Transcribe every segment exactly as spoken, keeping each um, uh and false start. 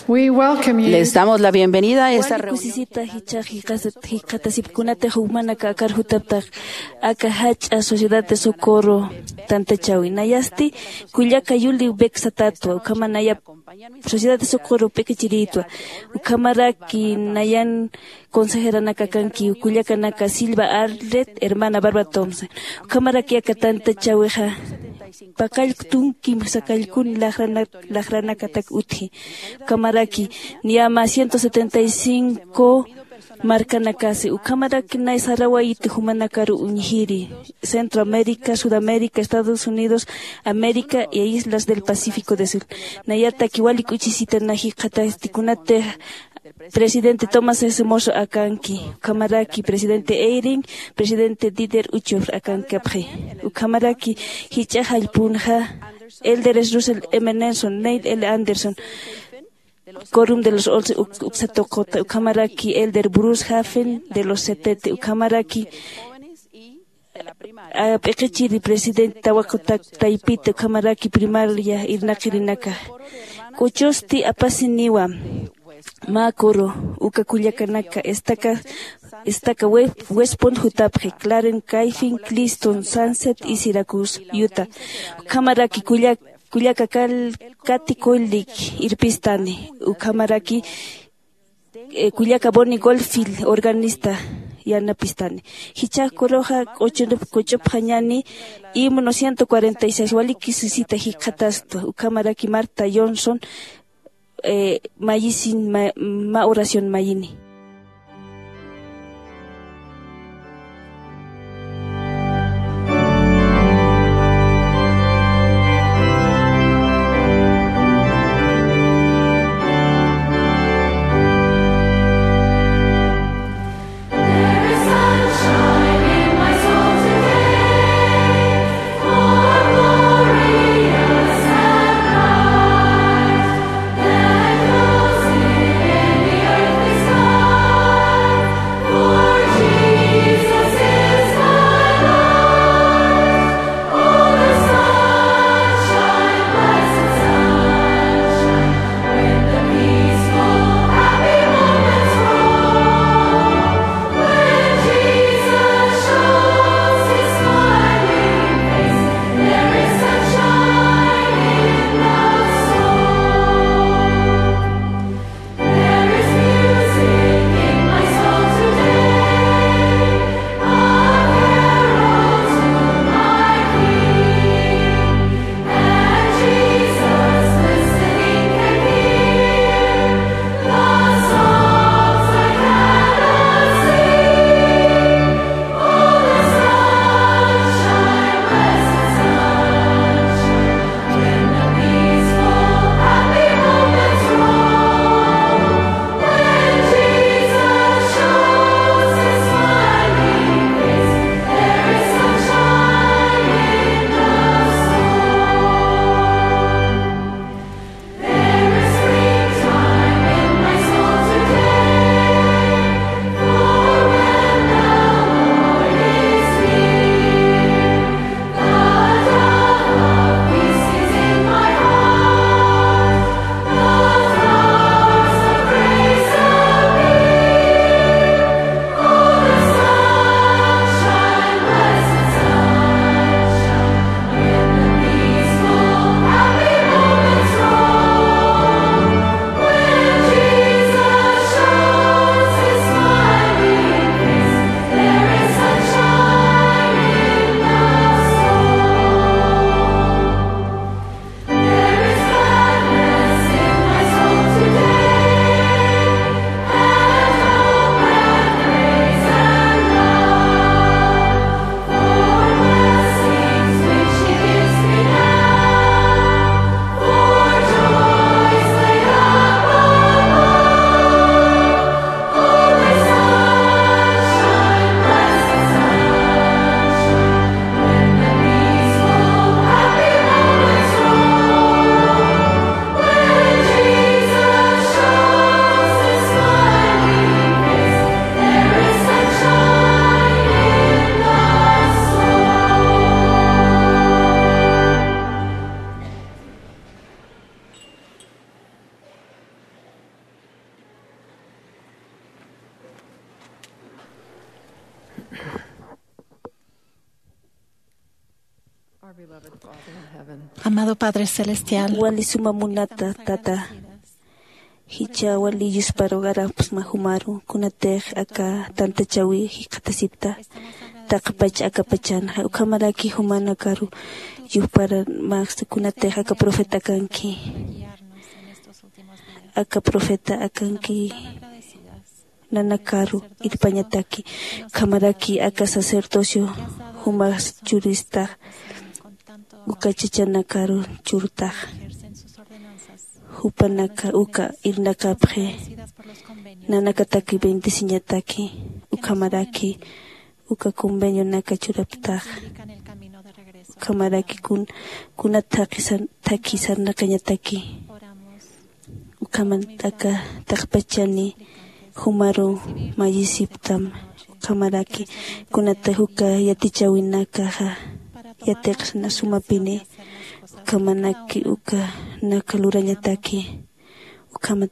We welcome you. Les damos la bienvenida a esta reunión. Kusisita jichhax jikxatasipkunatix jumanaka akar jutaptax aka jach'a Sociedad de Socorro tantachawi. Nayasti kullaka Yuli Beck satätwa, ukhama naya Sociedad de Socorro p'iqichirïtwa. Ukhamaraki nayan consejeranaka kanki, kullakanaka Silva Arlet, hermana Barbara Thompson. Ukhamaraki aka tantachawixa paqallk tunkim sakallkun laqrana-, laqranakatak utji. Ukhamaraki niyama ciento setenta y cinco markanakasi. Ukhamaraki nay sarawayiti jumanakaru uñjiri, Centroamérica, Sudamérica, Estados Unidos, América y islas del Pacífico de Sur. Nayataki wali k'uchisita naji jikxatasti kunatix presidente Thomas S. Monson akanki, ukhamaraki presidente Eyring, presidente Dieter Uchtdorf akankapxi. Ukhamaraki jich'a jallpunxa elderes Russell M. Nelson, Neil L. Andersen, Quórum de los Once uk-, uksa tuquta, ukhamaraki elder Bruce Hafen de los setenta, ukhamaraki a, p'iqichiri presidente tawaqutak taypita, ukhamaraki primaria irnaqirinaka. K'uchusti apasiniwa mä coro, uka kullakanaka, estaca, estaca West, West Point jutapxi, Clarence, Kyffin, Cleaston, Sunset y Syracuse, Utah. Ukhamaraki kullak-, kullaka Kal-, Kathy Kollwick irpistani, ukhamaraki eh, kullaka Bonnie Goldfield, organista, yanapistani. Jichhax coroxa k'uchunip-, k'uchupxañani himno ciento cuarenta y seis, wali kusisita jikxatastwa, ukhamaraki Martha Johnson, eh, mayisin, ma, ma oración mayini. Amado Padre Celestial, wali suma munata tata, jichha wali yusparugarapxsma jumaru kunatix aka tantachawi jikxatasipta taqpach akapachanxa ukhamaraki jumanakaru yujparamäksta kunatix aka profeta kanki. Aka profeta akanki nanakaru irpañataki ukhamaraki aka sacerdocio jumas churistax uka chachanakaru churtax jupanaka uka irnaqapxi nanakataki bendeciñataki ukhamaraki uka convenionaka churaptax ukhamaraki kun kunat thaqhi sarnaqañataki ukhaman t'aka taqpachani jumaru mayisiptam ukhamaraki kunatix uka yatichäwinakaxa yatiqsna sumapini ukhamanaki ukanaka lurañataki ukhamat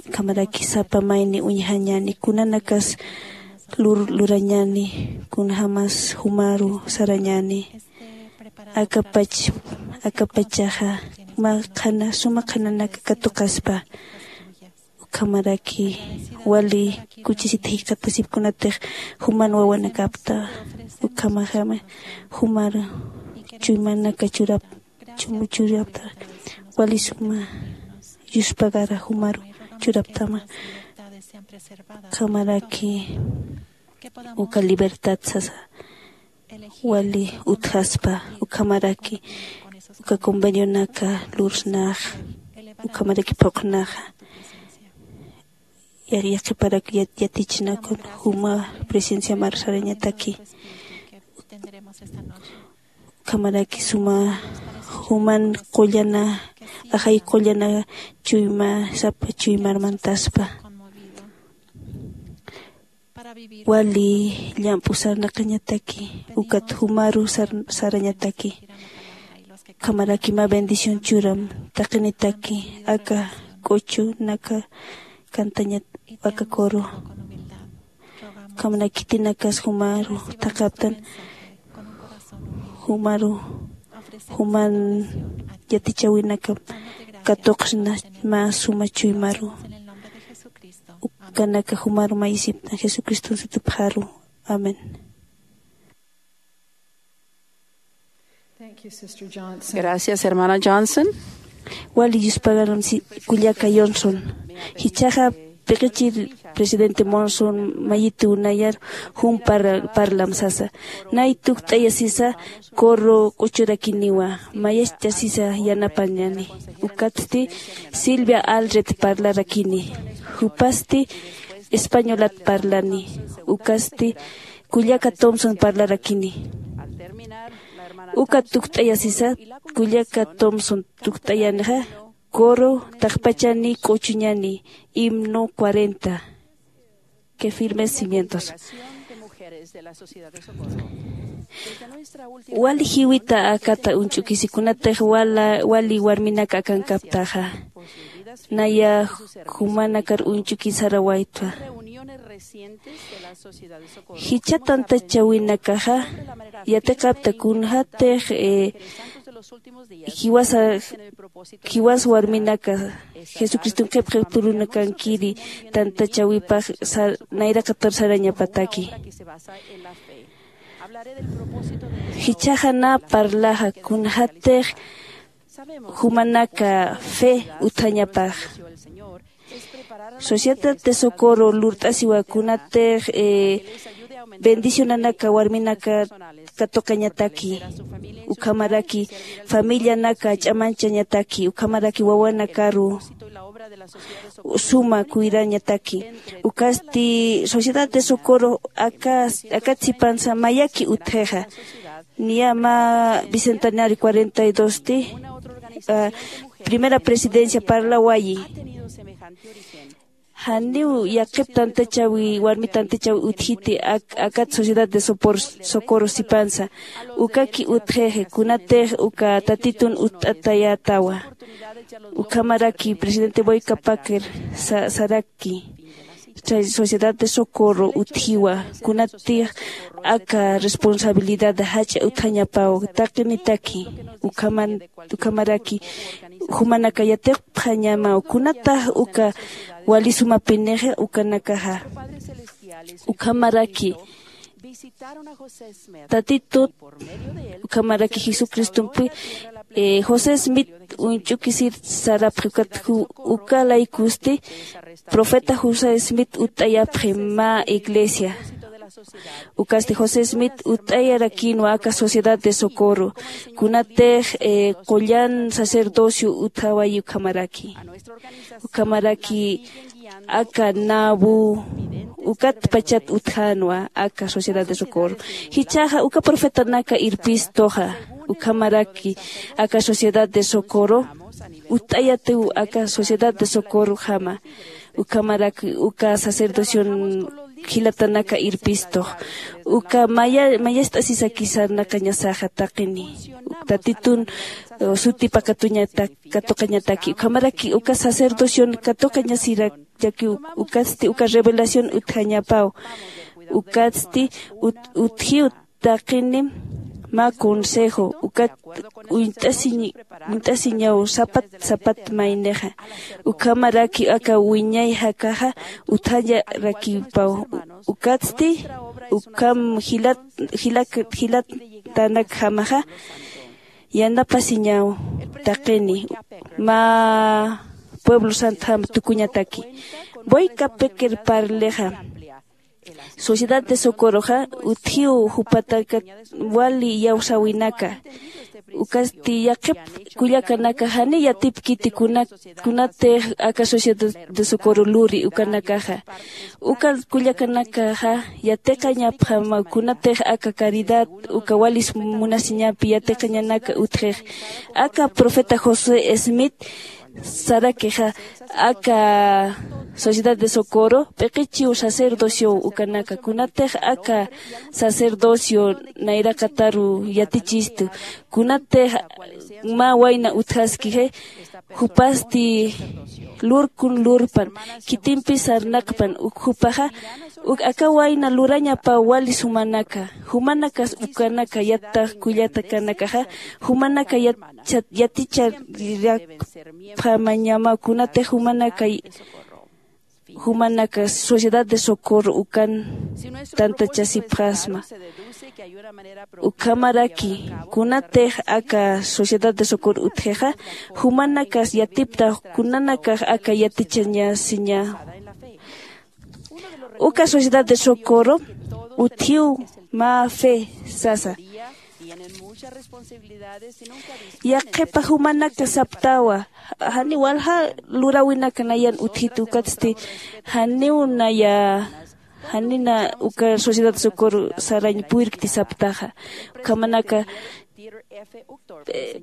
ukhamaraki sapa mayni uñjañäni kunanakas lur lurañäni kunjämas jumaru sarañäni akapach akapachaxa mä qhana suma qhananaka katuqaspa ukhamaraki wali kuchisit jikxatasipkunatix juman wawanakapta ukhamaxama jumar chuymanaka churap chumuchurapta wali suma yuspagara jumaru churaptama ukhamaraki uka libertad sasa wali utjaspa ukhamaraki uka convenionaka lursnax ukhamaraki phuqhnaxa yaqhiparak yatichnaku juma presencia marsarañataki ukhamaraki suma juman qullana ajay qullana chuyma sapa chuymarmantaspa wali llamp'u sarnaqañataki ukat jumaru sarañataki ukhamaraki mä bendición churam taqinitaki aka k'uchunaka kantañat aka coro ukhamaraki khitinakas jumaru thaqaptan jumaru juman yatichäwinaka katuqsna mä suma chuymaru ukanaka jumaru mayisiptan jesucriston sutupxaru. Amén. Gracias hermana Johnson. Wali yuspagaram kullaka Johnson jichhaxa piqichir presidente Monson mayitu nayar jum parlam sasa nay tukt'aya sisa coro k'uchurakiniwa mayascha sisa yanapañani ukatsti silvia alred parlarakini jupasti españolat parlani ukasti kullaka tomson parlarakini uka tukt'aya sisa kullaka tomson tukt'ayanixa coro taqpachani k'uchuñani himno cuarenta que firmes cimientos wali jiwita akata uñch'ukisi kunatix wali warminaka akankaptaxa naya jumanakar uñch'ukisara waytwa jichha tantachawinakaxa yatiqapta kunjatix jiwas warminaka jesucriston qhipqi turunakankiri tantachawipax nayraqatar sarañapataki jichhaxa na parlaxa kunjatix jumanaka fe utjañapax sociedad de socorro lurt'asiwa kunatix bendicionanaka warminaka katuqañataki ukhamaraki familianaka ch'amanchañataki ukhamaraki wawanakaru suma cuidañataki ukasti sociedad de socorro akat sipansa mayaki utjixa niya mä bicentenario cuarenta y dos ti primera presidencia parlawayi janiw yaqhip tantachawi warmi tantachawi utjiti akat sociedad de socorro sipansa ukaki utjixi kunatix uka tatitun utt'atayätawa ukhamaraki presidente boyka packer saraki Sociedad de Socorro utjiwa, kunatix aka responsabilidad jach'a utjañapaw taqinitaki. Ukhaman ukhamaraki jumanaka yatiqpxañamaw kunatax uka wali sumapinixa ukanakaxa. Ukhamaraki tatitut ukhamaraki jesucristompi, eh, josé smith uñch'ukisir sarapxi ukat ju- uka laykusti profeta josé smith utt'ayapxi mä iglesia. Ukasti josé smith utt'ayarakïnwa aka sociedad de socorro kunatix, eh, qullan sacerdocio utjawayi ukhamaraki. Ukhamaraki aka nabu ukatpachat utjänwa aka sociedad de socorro. Jichhaxa uka profetanaka irpistuxa ukhamaraki aka sociedad de socorro utt'ayatiw aka sociedad de socorrojama. Ukhamaraki uka sacerdocion jilatanaka irpistux uka maya mayast'asisaki sarnaqañasaxa taqini tatitun, eh, suti pakatuñata katuqañataki ukhamaraki uka sacerdocion katuqañasirakiw. Ukatsti uka revelación utjañapaw. Ukatsti ut- utjiw taqini mä consejo ukat uñt'asiñ uñt'asiñaw sapat sapat maynixa. Ukhamaraki aka wiñay jakaxa utjañarakipaw. Ukatsti ukham jilat jilak jilatanakjamaxa yanapasiñaw taqini mä pueblo santjam tukuñataki. Boyka peker parlexa sociedad de socorroxa utjiw jupatakat wali iyawsäwinaka. Ukasti yaqhip kullakanaka jani yatipkiti kuna kunatix aka sociedad de socorro luri ukanakaxa. Uka kullakanakaxa yatiqañapxama kunatix aka caridad uka walis munasiñapi yatiqañanaka utjix. Aka profeta josé smith sarakixa aka sociedad de socorro p'iqichiw sacerdociow ukanaka kunatix aka sacerdocio nayraqataru yatichistu kunatix mä wayna utjaskixi. Jupasti lurkun lurpan khitimpi sarnaqpan uk jupaxa uk aka wayna lurañapaw wali sumanaka. Jumanakas ukanaka yattax kullatakanakaxa jumanaka yat- yaticharakpamañama kunatix jumanaka jumanaka sociedad de socorro ukan tantachasipxasma. Ukhamaraki kunatix aka sociedad de socorro utjixa jumanakas yatiptax kunanakax aka yatichañasiña. Uka sociedad de socorro utjiw mä fe sasa. Yaqhipa jumanaka saptawa janiw walja luräwinaka nayan utjit ukatsti janiw naya janina uka sociedad socorro sarañ puyrkti saptaxa. Ukhamanaka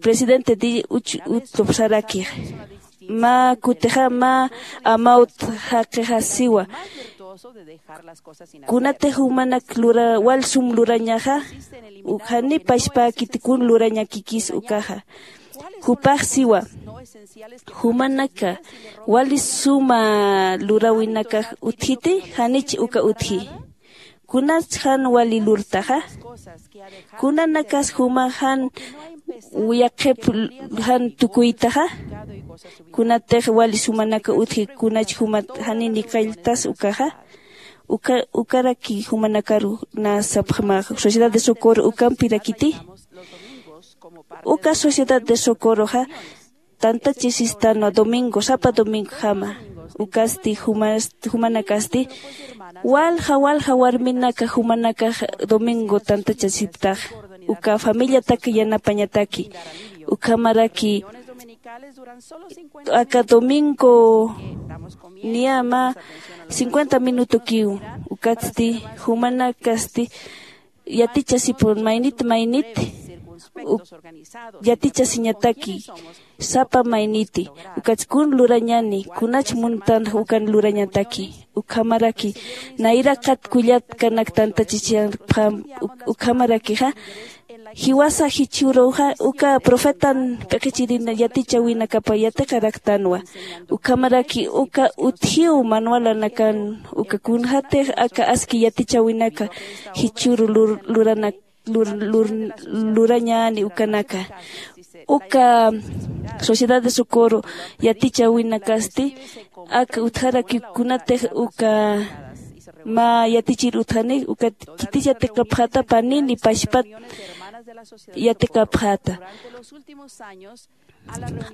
presidente di uch utupsarakix mä kutixa mä amawt jaqixasiwa. Kunatix jumanak lura wal sum lurañaxa jani pachpäkiti kun lurañakikis ukaxa. Jupax siwa jumanaka wali suma luräwinakax utjiti janich uka utji. Kunats jan wali lurtaxa kunanakas juma jan yaqhip jan tukuytaxa. Kunatix wali sumanaka utji kunach jumat janini qalltas ukaxa. Uka ukaraki jumanakaru na sapxmax sociedad de socorro ukampirakiti. Uka sociedad de socorroxa tantachisistanwa domingo sapa domingojama. Ukasti jumanakasti walja walja warminaka jumanakax domingo tantachasiptax uka familiatak yanapañataki. Ukhamaraki aka domingo niyama cincuenta minutokiw. Ukatsti jumanakasti yatichasipun maynit maynit yatichasiñataki sapa mayniti. Ukatskun lurañani kunach muntan ukan lurañataki. Ukhamaraki nayraqat kullat kanak tantachisiñapxam. Ukhamarakixa Jiwasa jichhüruxa uka profetan p'iqichirin yatichäwinakapa yatiqaraktanwa. Ukhamaraki uka utjiw manualanakan uka kunjatix aka aski yatichäwinaka jichhüru luranak lurañäni ukanaka. Uka sociedad de socorro yatichäwinakasti aka utjarakiw kunatix uka mä yatichir utjani ukat khitis yatiqapxäta panini pachpat yatiqapxäta.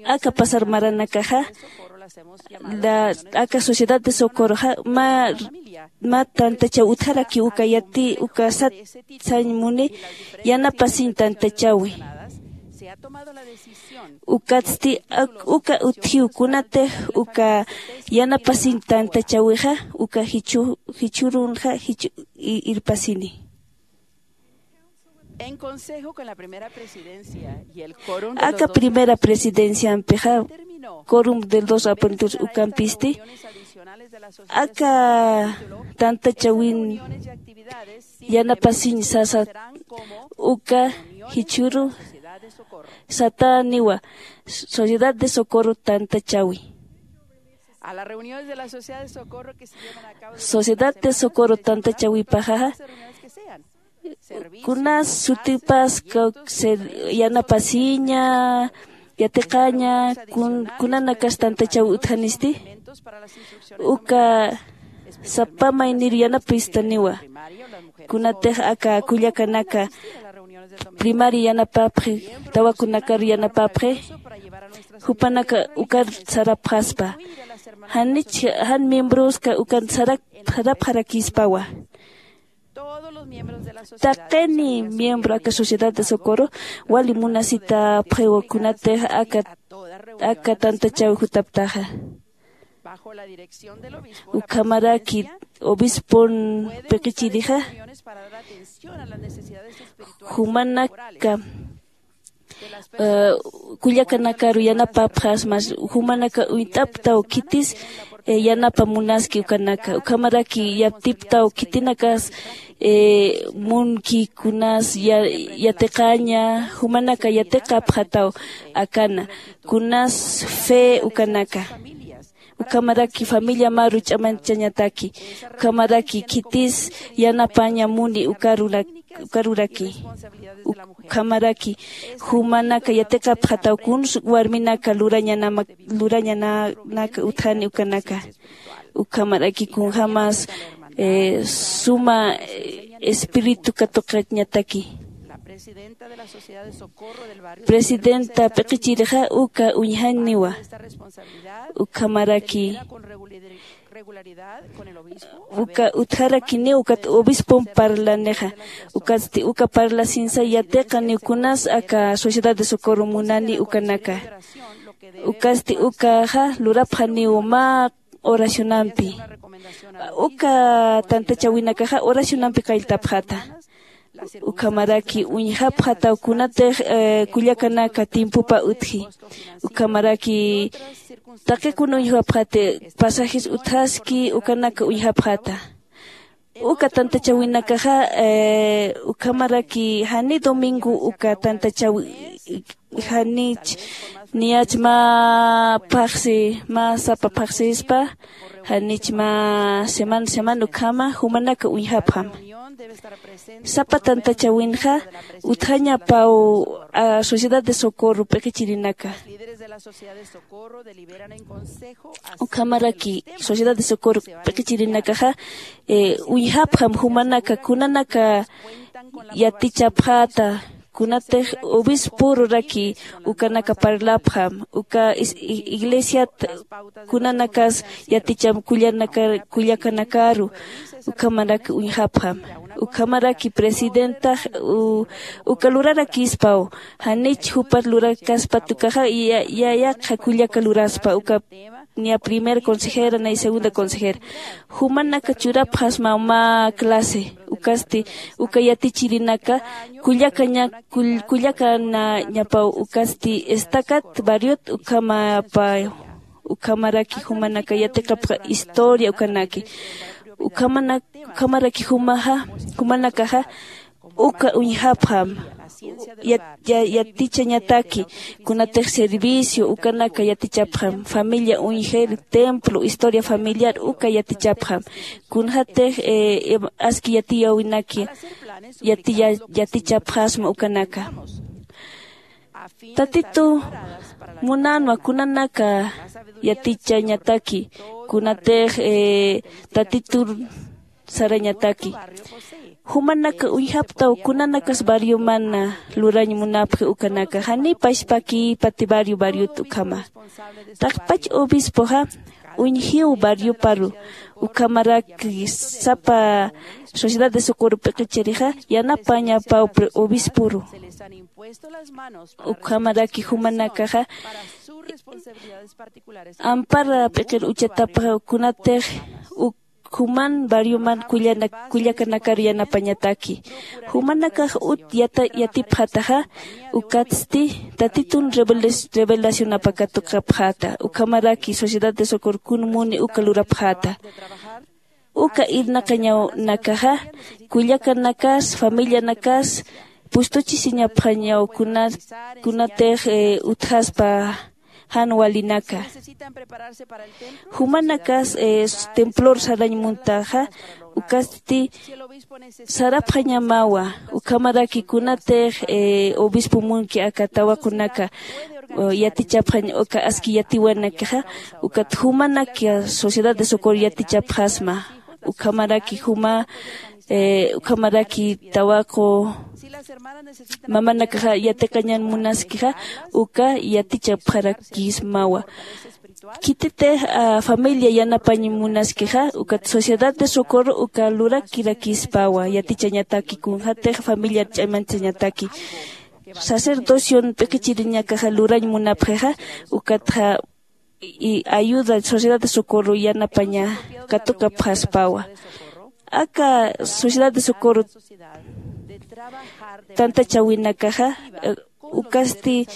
Aka pasar maranakaxa aka sociedad de socorroxa mä tantachaw utjarakiw uka yati uka sat sañ muni yanapasiñ tantachäwi. Ukatsti uka utjiw kunatix uka yanapasiñ tantachäwixa uka jichhürunxa jichhü irpasini. Aka primera presidenciampixa corum del dos apuntur ukampisti aka tantachäwin yanapasiñ sasa uka jichhüru satäniwa sociedad de socorro tantachäwi. Sociedad de socorro tantachäwipaxaxa kunas sutipas yanapasiña yatiqaña kunanakas tantachäwi utjanisti uka sapa maynir yanapistaniwa. Kunatix aka kullakanaka primaria yanapapxi tawakunakar yanapapxi jupanaka ukar sarapxaspa janich jan miembroska ukan sarapxarakispawa. Taqini miembro aka sociedad de socorro wali munasitapxiwa kunatix aka tantachäwi jutaptaxa. Ukhamaraki obispon p'iqichirixa jumanaka kullakanakaru yanapapxas mas jumanaka uñt'aptaw khitis yanapa munaski ukanaka ukhamaraki yatiptaw khitinakas munki kunas yatiqaña jumanaka yatiqapxataw akana kunas fe ukanaka. Ukhamaraki familia maru ch'amanchañataki ukhamaraki khitis yanapaña muni ukaruraki ukhamaraki jumanaka yatiqapxataw kuns warminaka lurañanaka utjani ukanaka. Ukhamaraki kunjämas suma espíritu katuqañataki. Presidenta p'iqichirixa uka uñjaniwa ukhamaraki uka utjarakiniw ukat obispon parlanixa ukatsti uka parlasinsa yatiqaniw kunas aka sociedad de socorro munani ukanaka. Ukatsti ukaxa lurapxaniw mä oracionampi uka tantachäwinakaxa oracionampi qalltapxata. Ukhamaraki uñjapxataw kunatix kullakanaka tiempopa utji ukhamaraki taqi kuna uñjapxati pasajes utjaski ukanaka uñjapxata. Uka tantachäwinakaxa ukhamaraki jani domingo uka tantachäwi janich niyach mä phaxsi mä sapa phaxsispa janich mä semana semana ukhama jumanaka uñjapxam. Sapa tantachäwinxa utjañapaw sociedad de socorro p'iqichirinaka. Ukhamaraki sociedad de socorro p'iqichirinakaxa uñjapxam jumanaka kunanaka yatichapxäta kunatix obisporuraki ukanaka parlapxam uka iglesiat kunanakas yaticham kullakanakaru ukhamarak uñjapxam. Ukhamaraki presidentax uka lurarakispaw janich jupat lurakaspat ukaxa yaqha kullaka luraspa uka niya primera consejera nay segunda consejera jumanaka churapxasmaw mä clase ukasti uka yatichirinaka kullakaña kullakanañapaw ukasti estacat barriot ukhamapaw ukhamaraki jumanaka yatiqapxa historia ukanaki ukhamaraki jumaxa jumanakaxa uka uñjapxam. yatichañataki. Kunatix servicio ukanaka yatichapxam, familia uñjir, templo, historia familiar uka yatichapxam. Kunxatix aski yatiyawinaki yatichapxasma ukanaka. Tatitu munanwa kunanaka yatichañataki, kunatix tatitur sarañataki. Jumanaka uñjaptaw kunanakas barriomana lurañ munapxi ukanaka janipash pakïpati barrio barriot ukhama. Taqpach obispoxa uñjiw barrioparu, ukhamaraki sapa sociedad de socorro p'iqichirixa yanapañapaw obisporu. Ukhamaraki jumanakaxa ampara p'iqir uchatapxa kunatix uk juman barrioman kullakanakar yanapañataki. Jumanakax ut yatipxataxa ukatsti tatitun revelacionapa katukapxata ukhamaraki sociedad de socorro kun muni uka lurapxata. Uka irnaqañawnakaxa kullakanakas familianakas pustuchisiñapxañaw kunatix utjaspa jan walinaka. Jumanakas templor sarañ muntaxa ukasti sarapxañamawa. Ukhamaraki kunatix obispo munki aka tawaqunaka yatichapxañ uka aski yatiwanakixa ukat jumanaka sociedad de socorro yatichapxasma. Ukhamaraki juma ukhamaraki tawaqu mamanakaxa yatiqañan munaskixa uka yatichapxarakismawa. Khititix familia yanapañ munaskixa ukat sociedad de socorro uka lurakirakispawa yatichañataki kunxatix familiar ch'amanchañataki. Sacerdocion p'iqichiriñakaxa lurañ munapxixa ukatxa ayuda sociedad de socorro yanapaña katukapxaspawa. Aka sociedad de socorro tantachawinakaxa ukasti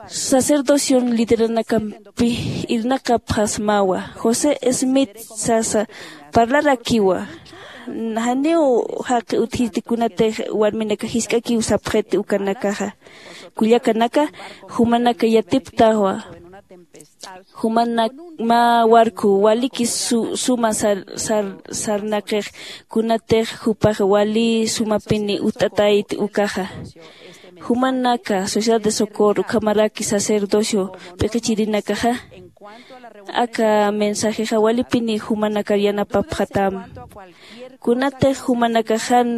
sacerdocion lideranakampi irnaqapxasmawa. José smith sasa parlarakiwa. Janiw jaqi utjiti kunatix warminaka jisk'akiw sapxiti ukanakaxa. Kullakanaka jumanaka yatiptawa. Jumanak mä warku waliki suma sarnaqix kunatix jupax wali sumapini utt'atayt ukaxa. Jumanaka sociedad de socorro ukhamaraki sacerdocio p'iqichirinakaxa aka mensajexa walipini jumanakar yanapapxatam. Kunatix jumanakax jan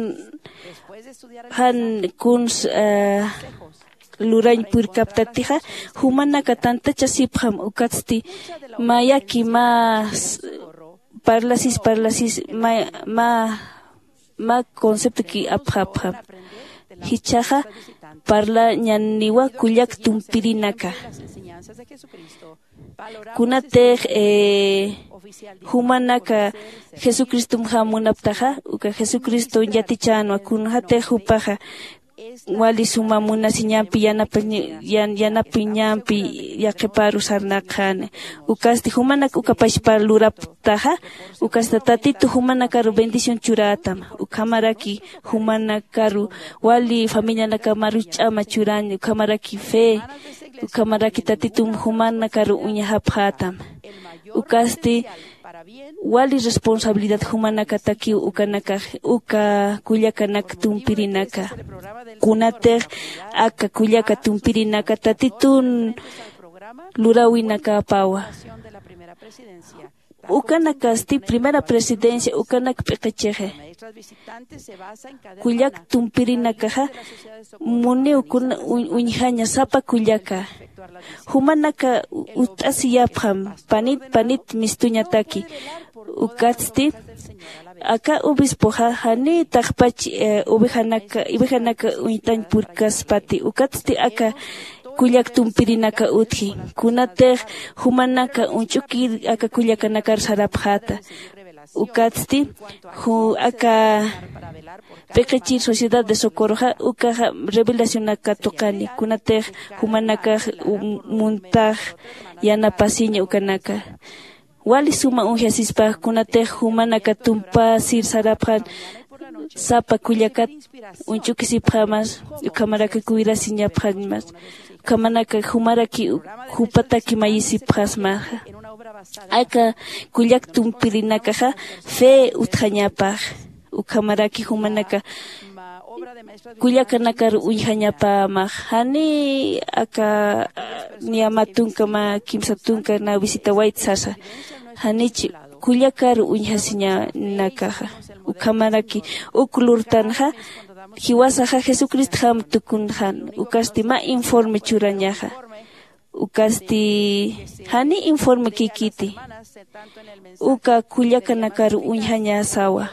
jan kuns lurañ purkaptatixa jumanaka tantachasipxam ukatsti mayaki mä parlasis parlasis mä mä conceptoki apxapxam. Jichhaxa parlañaniwa kullak tumpirinaka. Kunatix jumanaka jesucristomxa munaptaxa uka jesucristo yatichänwa kunxatix jupaxa wali suma munasiñampi yanapiñampi yaqhiparu sarnaqxani. Ukasti jumanak uka pachpar luraptaxa ukasta tatitu jumanakaru bendición churätam. Ukhamaraki jumanakaru wali familianakamaru ch'ama churañ ukhamaraki fe ukhamaraki tatitum jumanakaru uñjapxätam. Ukasti wali responsabilidad jumanakatakiw ukanakax uka kullakanak tumpirinaka. Kunatix aka kullaka tumpirinaka tatitun luräwinakäpawa. Ukanakasti primera presidencia ukanak p'iqichixi. Kullak tumpirinakaxa muniw kuna uñjaña sapa kullaka jumanaka utt'asiyapxam panit panit mistuñataki. Ukatsti aka obispoxa janiw taqpach ovejanaka uñt'añ purkaspati ukatsti aka kullak tumpirinaka utji. Kunatix jumanaka uñch'ukir aka kullakanakar sarapxäta. Ukatsti aka p'iqichir sociedad de socorroxa ukaxa revelacionak katuqani kunatix jumanakax muntax yanapasiña ukanaka wali suma uñjasispax kunatix jumanaka tumpasir sarapxan. sapa kullakat uñch'ukisipxamas, ukhamaraki cuidasiñapxamas, ukhamanaka jumaraki jupataki mayisipxasmaxa. Aka kullak tumpirinakaxa fe utjañapax, ukhamaraki jumanaka kullakanakar uñjañapämax, jani aka niya mä tunka mä kimsa tunka na visitawayt sasa, janich kullakar uñjasiñanakaxa. Ukhamaraki uk lurtanxa jiwasaxa jesucristjam tukunxan, ukasti mä informe churañaxa. Ukasti jani informe kikiti uka kullakanakar uñjañasawa.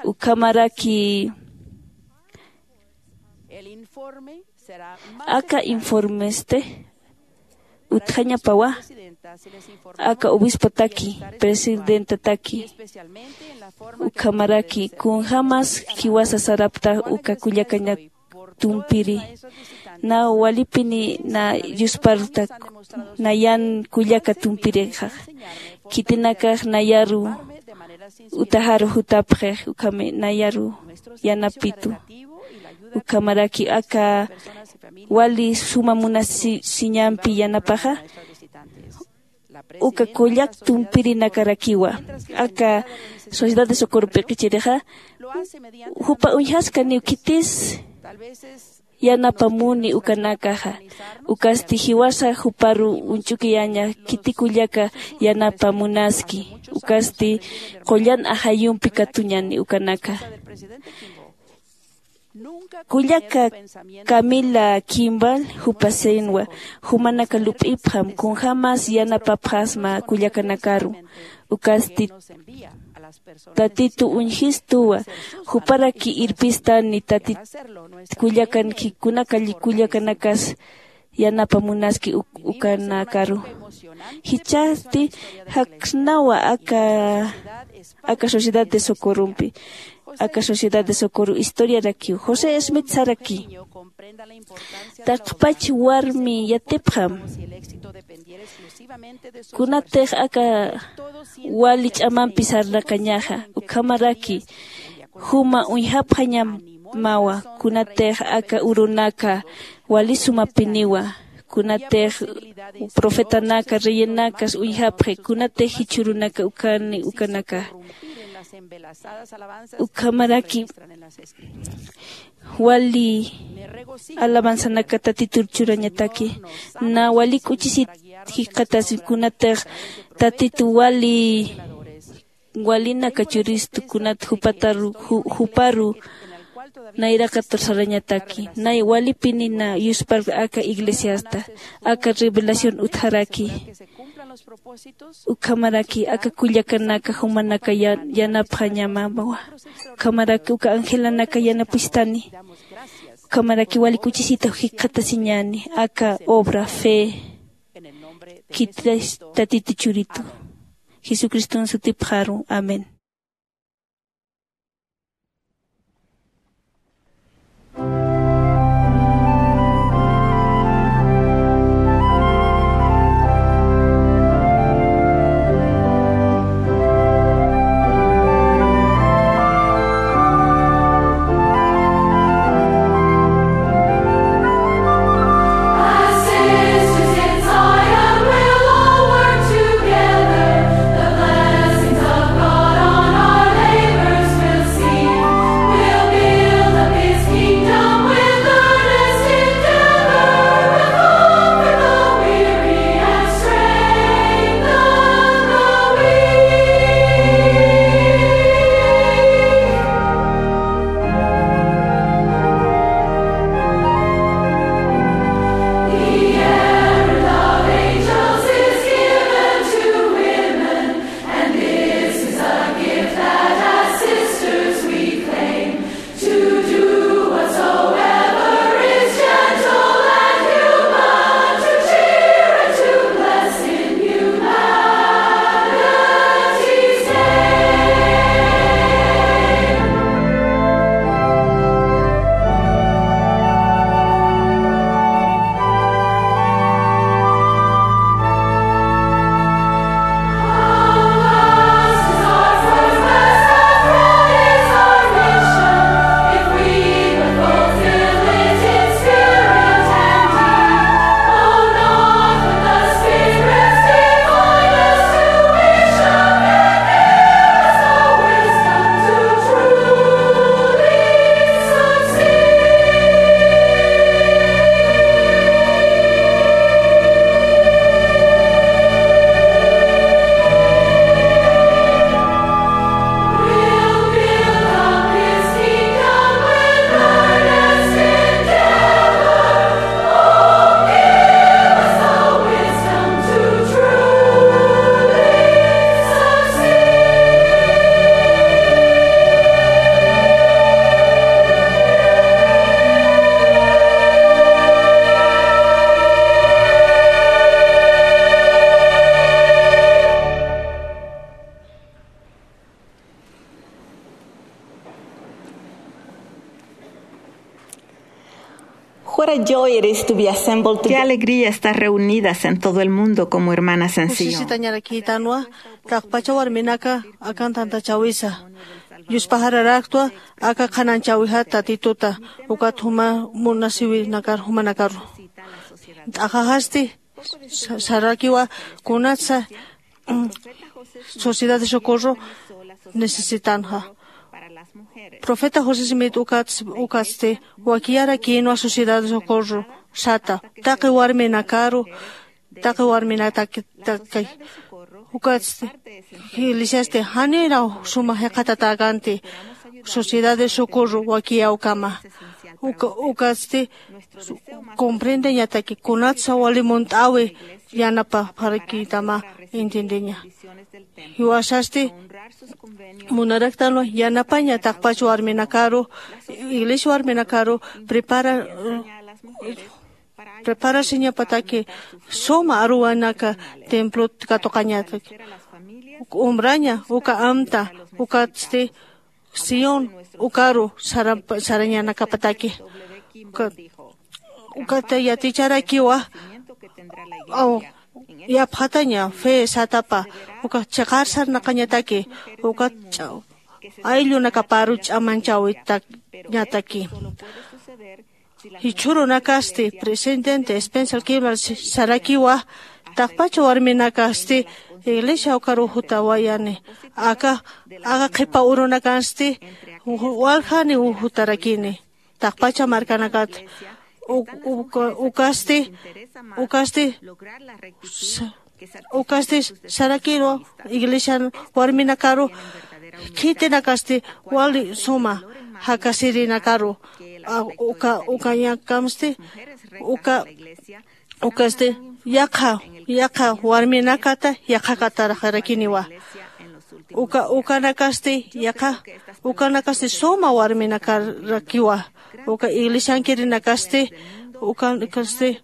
Ukhamaraki aka informeste utjañapawa aka obispotaki, presidentataki, ukhamaraki kunjämas jiwasa sarapta uka kullakaña tumpiri. Na walipini na yusparta na yan kullaka tumpirixax. Khitinakax nayaru utajaru jutapxix, ukhami nayaru yanapitu. Ukhamaraki aka wali suma munasiñampi yanapaxa uka kullak tumpirinakarakiwa. Aka sociedad de socorro p'iqichirixa jupa uñjaskaniw khitis yanapamuni ukanakaxa. Ukasti jiwasa juparu uñch'ukiyaña khiti kullaka yanapamunaski. Ukasti qullan ajayumpi katuñani ukanaka. Kullaka camila kimbal jupasenwa, jumanaka lup'ipxam kunjämas yanapapxasma kullakanakaru. Ukasti tatitu uñjistuwa, juparaki irpistani tatit kullakanki kunaka kullakanakas yanapamunaski ukanakaru. Jichhasti jaksnawa aka aka sociedad de socorrompi aka sociedad de socorro historiarakiw josé smith saraki. Taqpach warmi yatipxam kunatix aka wali ch'amampi sarnaqañaxa ukhamaraki juma uñjapxañamawa kunatix aka urunaka wali sumapiniwa kunatix profetanaka reyinakas uñjapxi kunatix jichhürunaka ukhani ukanaka ukhamaraki wali alabanzanaka tatitur churañataki na wali k'uchisit jikxatasi kunatix tatitu wali walinaka churistu kunat jupataru juparu nayraqatur sarañataki nay walipinina yuspar aka iglesiasta aka revelación utjaraki ukhamaraki aka kullakanaka jumanaka yanapxañamawa ukhamaraki uka angelanaka yanapistani ukhamaraki wali k'uchisita jikxatasiñani aka obra fe khititatitu churitu jesucriston sutipxaru amén. Joy it is to be assembled together. Qué alegría estar reunidas en todo el mundo como hermanas en Sion. Kusisitañarakïtanwa, taqpacha warminaka akan tantachawisa. Yuspaxararaktwa aka qhanañchäwixat Tatituta, ukat juma munasiwinakar jumanakaru. T'axaxasti sa- sarakiwa kunatsa, mm, Sociedad de Socorro necesitanxa. Profeta José Smith ukats- ukatsti wakiyarakïnwa Sociedad de Socorro sata, taqi warminakaru, taqi warminaktakay. Ukatsti iglesiasti janiraw suma jiqatatäkänti Sociedad de Socorro wakiyäwkama. Uka- ukatsti comprendeñataki kunatsa wali munt'äwi yanapapxarakïtama entiendeña. Jiwasasti munaraktanwa yanapaña taqpach warminakaru, iglesia warminakaru prepara- preparasiñapataki suma aruwanaka templot katuqañataki. Umraña uka amta, ukatsti Sion ukaru sara- sarañanakapataki. Uka- ukata yaticharakiwa, aw, yapxataña fe satapa, uka chiqar sarnaqañataki, uka ch'a- ayllunakaparu ch'amanchäwitañataki. Jichhürunakasti presidente Spencer Kimball sarakiwa, taqpacha warminakasti iglesia ukaru jutawayani. Aka aka qhipa urunakansti waljani jutarakini taqpacha markanakat. Uk- uk- ukasti ukasti sa- ukasti sarakiru iglesian warminakaru khitinakasti wali suma jakasirinakaru. A- uka ukañakamsti uka ukasti yaqha yaqha warminakata yaqhakataraxarakiniwa. Uka ukanakasti yaqha ukanakasti suma warminakarakiwa. Uka iglesiankirinakasti ukanakasti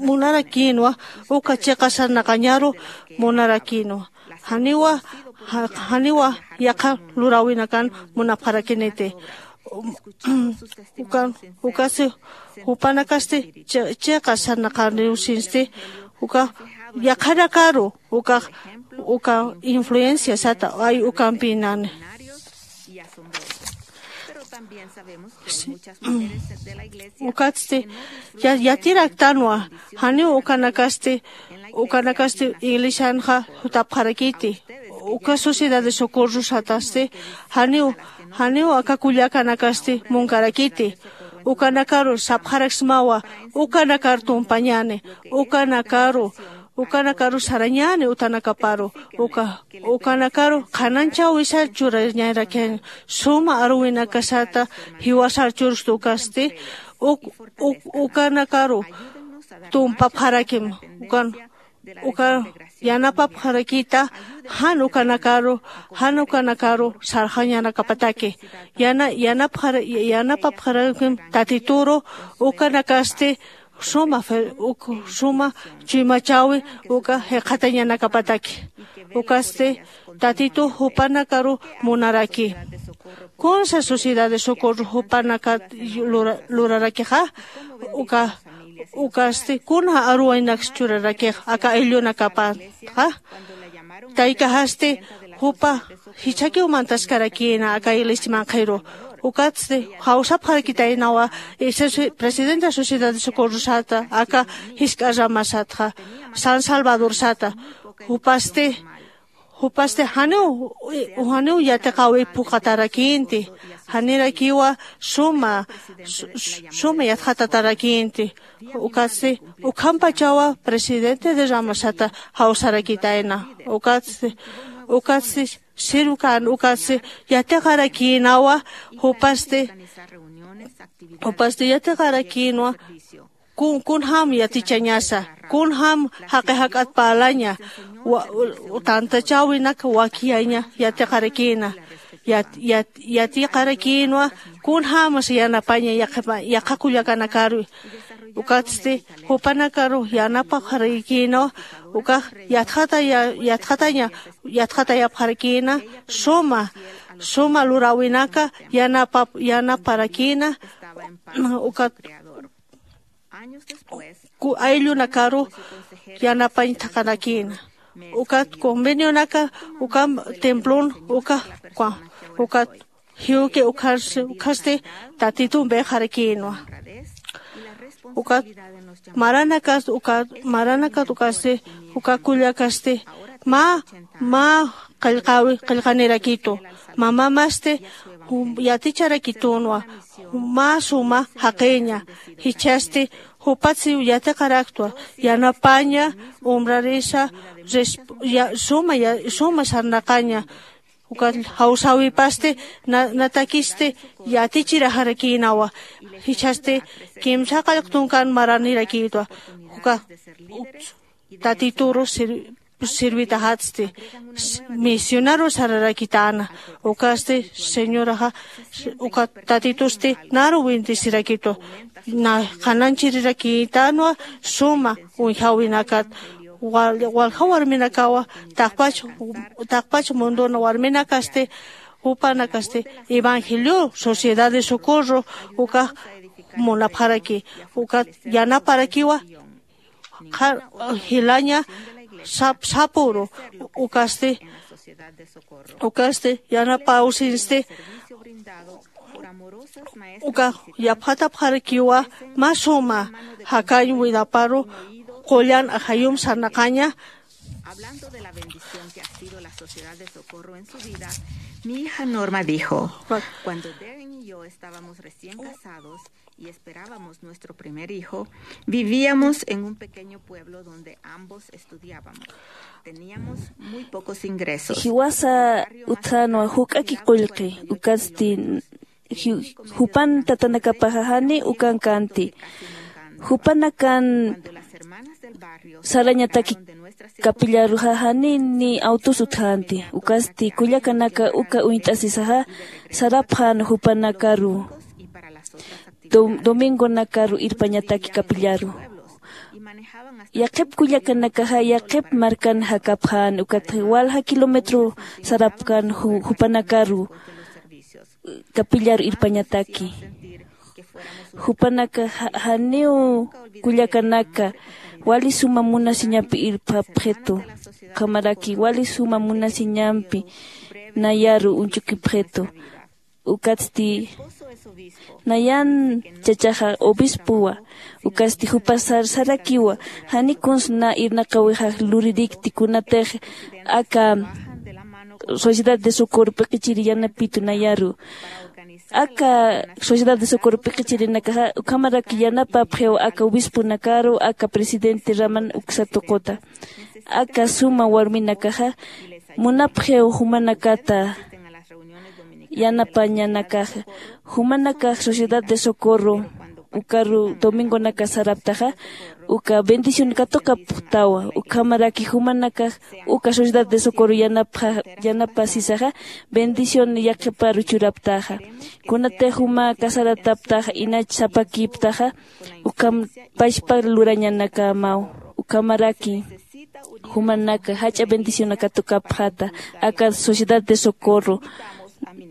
munarakïnwa, uka chiqa sarnaqañaru munarakïnwa. Janiwa ja- janiwa yaqha luräwinakan munapxarakiniti. Ukan ukasi jupanakasti chi- chiqa sarnaqaniwsinsti uka yaqhanakaru uka uka influencia sata ay ukampinani. Ukatsti ya- yatiraktanwa janiw ukanakasti ukanakasti iglesianxa jutapxarakiti. Uka sociedad de socorro satasti janiw janiw aka kullakanakasti munkarakiti. Ukanakaru sapxaraksmawa ukanakar tumpañani ukanakaru ukanakaru sarañani utanakaparu uka ukanakaru qhananchäwisar churañarakiña suma aruwinakasata jiwasar churstu ukasti uk- uk- ukanakaru tumpapxarakim ukan uka yanapapxarakita jan ukanakaru jan ukanakaru sarxañanakapataki yana yanapxara yanapapxarakim tatituru ukanakasti suma fe- uk- suma chuymachäwi uka jiqhatañanakapataki. Ukasti tatitu jupanakaru munaraki kunsa sociedad de socorro jupanakat lura- lurarakixa uka ukasti kuna aruwaynaks churarakix aka ayllunakapatxa. Taykaxasti jupa jichhakiw mantaskarakïna aka iglesiamanqhiru ukatsti jawsapxarakitaynawa presidenta sociedad de socorrosata aka jisk'a ramasatxa san salvadorsata. Jupasti jupasti janiw janiw yatiqäwi phuqatarakïnti janirakiwa suma suma yatxatatarakïnti. Ukatsti ukhampachawa presidente de ramasata jawsarakitayna. Ukatsti ukatsti sirwkän ukatsti yatiqarakïnawa jupasti jupasti yatiqarakïnwa kun kunjam yatichañasa kunjam jaqi jak'at parlaña tantachäwinak wakiyaña yatiqarakïna. Yatiqarakïnwa kunjämas yanapaña yaqha kullakanakaru. Ukatsti jupanakaru yanapapxarakïnwa ukax yatxataya yatxataña yatxatayapxarakïna suma suma luräwinaka yanapap yanaparakïna. ukat ku ayllunakaru yanapañ thaqanakïna. Ukat convenionaka ukam templon uka uka ukat jiwki ukhas ukhasti tatitumpi jarakïnwa. Ukat maranakat ukat maranakat ukasti uka kullakasti mä mä qillqawi qillqanirakitu. Mamamasti yaticharakitünwa mä suma jaqiña. Jichhasti jupatsi yatiqaraktwa yanapaña umrarisa suma suma sarnaqaña. Ukat jawsäwipasti natakisti yatichiraxarakïnawa. Jichhasti kimsa qallqtunkan maranirakïtwa. Uka tatituru sirvitaxatsti misionaru sararakitäna. Ukasti señoraxa uka tatitusti naru bendecirakitu. Qananchirirakïtänwa suma uñjäwinakat. Walja warminakawa taqpach taqpach munduna warminakasti jupanakasti evangelio sociedad de socorro ukax munapxaraki. Ukat yanaparakiwa jilaña sapuru ukasti ukasti yanapawsinsti uka yapxatapxarakiwa mä suma jakañ widaparu qullan ajayum sarnaqaña. Hablando de la bendición que ha sido la sociedad de socorro en su vida, mi hija Norma dijo, cuando Darren y yo estábamos recién casados y esperábamos nuestro primer hijo, vivíamos en un pequeño pueblo donde ambos estudiábamos. Teníamos muy pocos ingresos. Jiwasa utjänwa juk'aki qullqi ukasti jupan tatanakapaxa jani ukan kanti. Jupanakan sarañataki kapillaruxa jani ni autos utjänti. Ukasti kullakanaka uka uñt'asisaxa sarapxän jupanakaru domingonakaru irpañataki kapillaru. Yaqhip kullakanakaxa yaqhip markan jakapxän ukat walja kilómetro sarapkän jupanakaru kapillaru irpañataki. Jupanaka janiw kullakanaka wali suma munasiñampi irpapxitu. Ukhamaraki wali suma munasiñampi nayaru uñchukipxitu. Ukatsti nayan chachaxa obispowa. Ukasti jupa sarakiwa jani kuns na irnaqawixax luririkti kunatix aka sociedad de socorro p'iqichiri yanapitu nayaru. Aka sociedad de socorro p'iqichirinakaxa ukhamaraki yanapapxiw aka obisponakaru aka presidente raman uksa tuquta. Aka suma warminakaxa munapxiw jumanakata yanapañanakaxa. Jumanakax sociedad de socorro ukaru domingonaka saraptaxa uka bendición katuqapxtawa. Ukhamaraki jumanakax uka sociedad de socorro yanapasisaxa bendición yaqhiparu churaptaxa. Kunatix juma casarataptaxa inach sapakiptaxa ukham pachpa lurañanakamaw. Ukhamaraki jumanaka jach'a bendicionakatuqapxata aka sociedad de socorro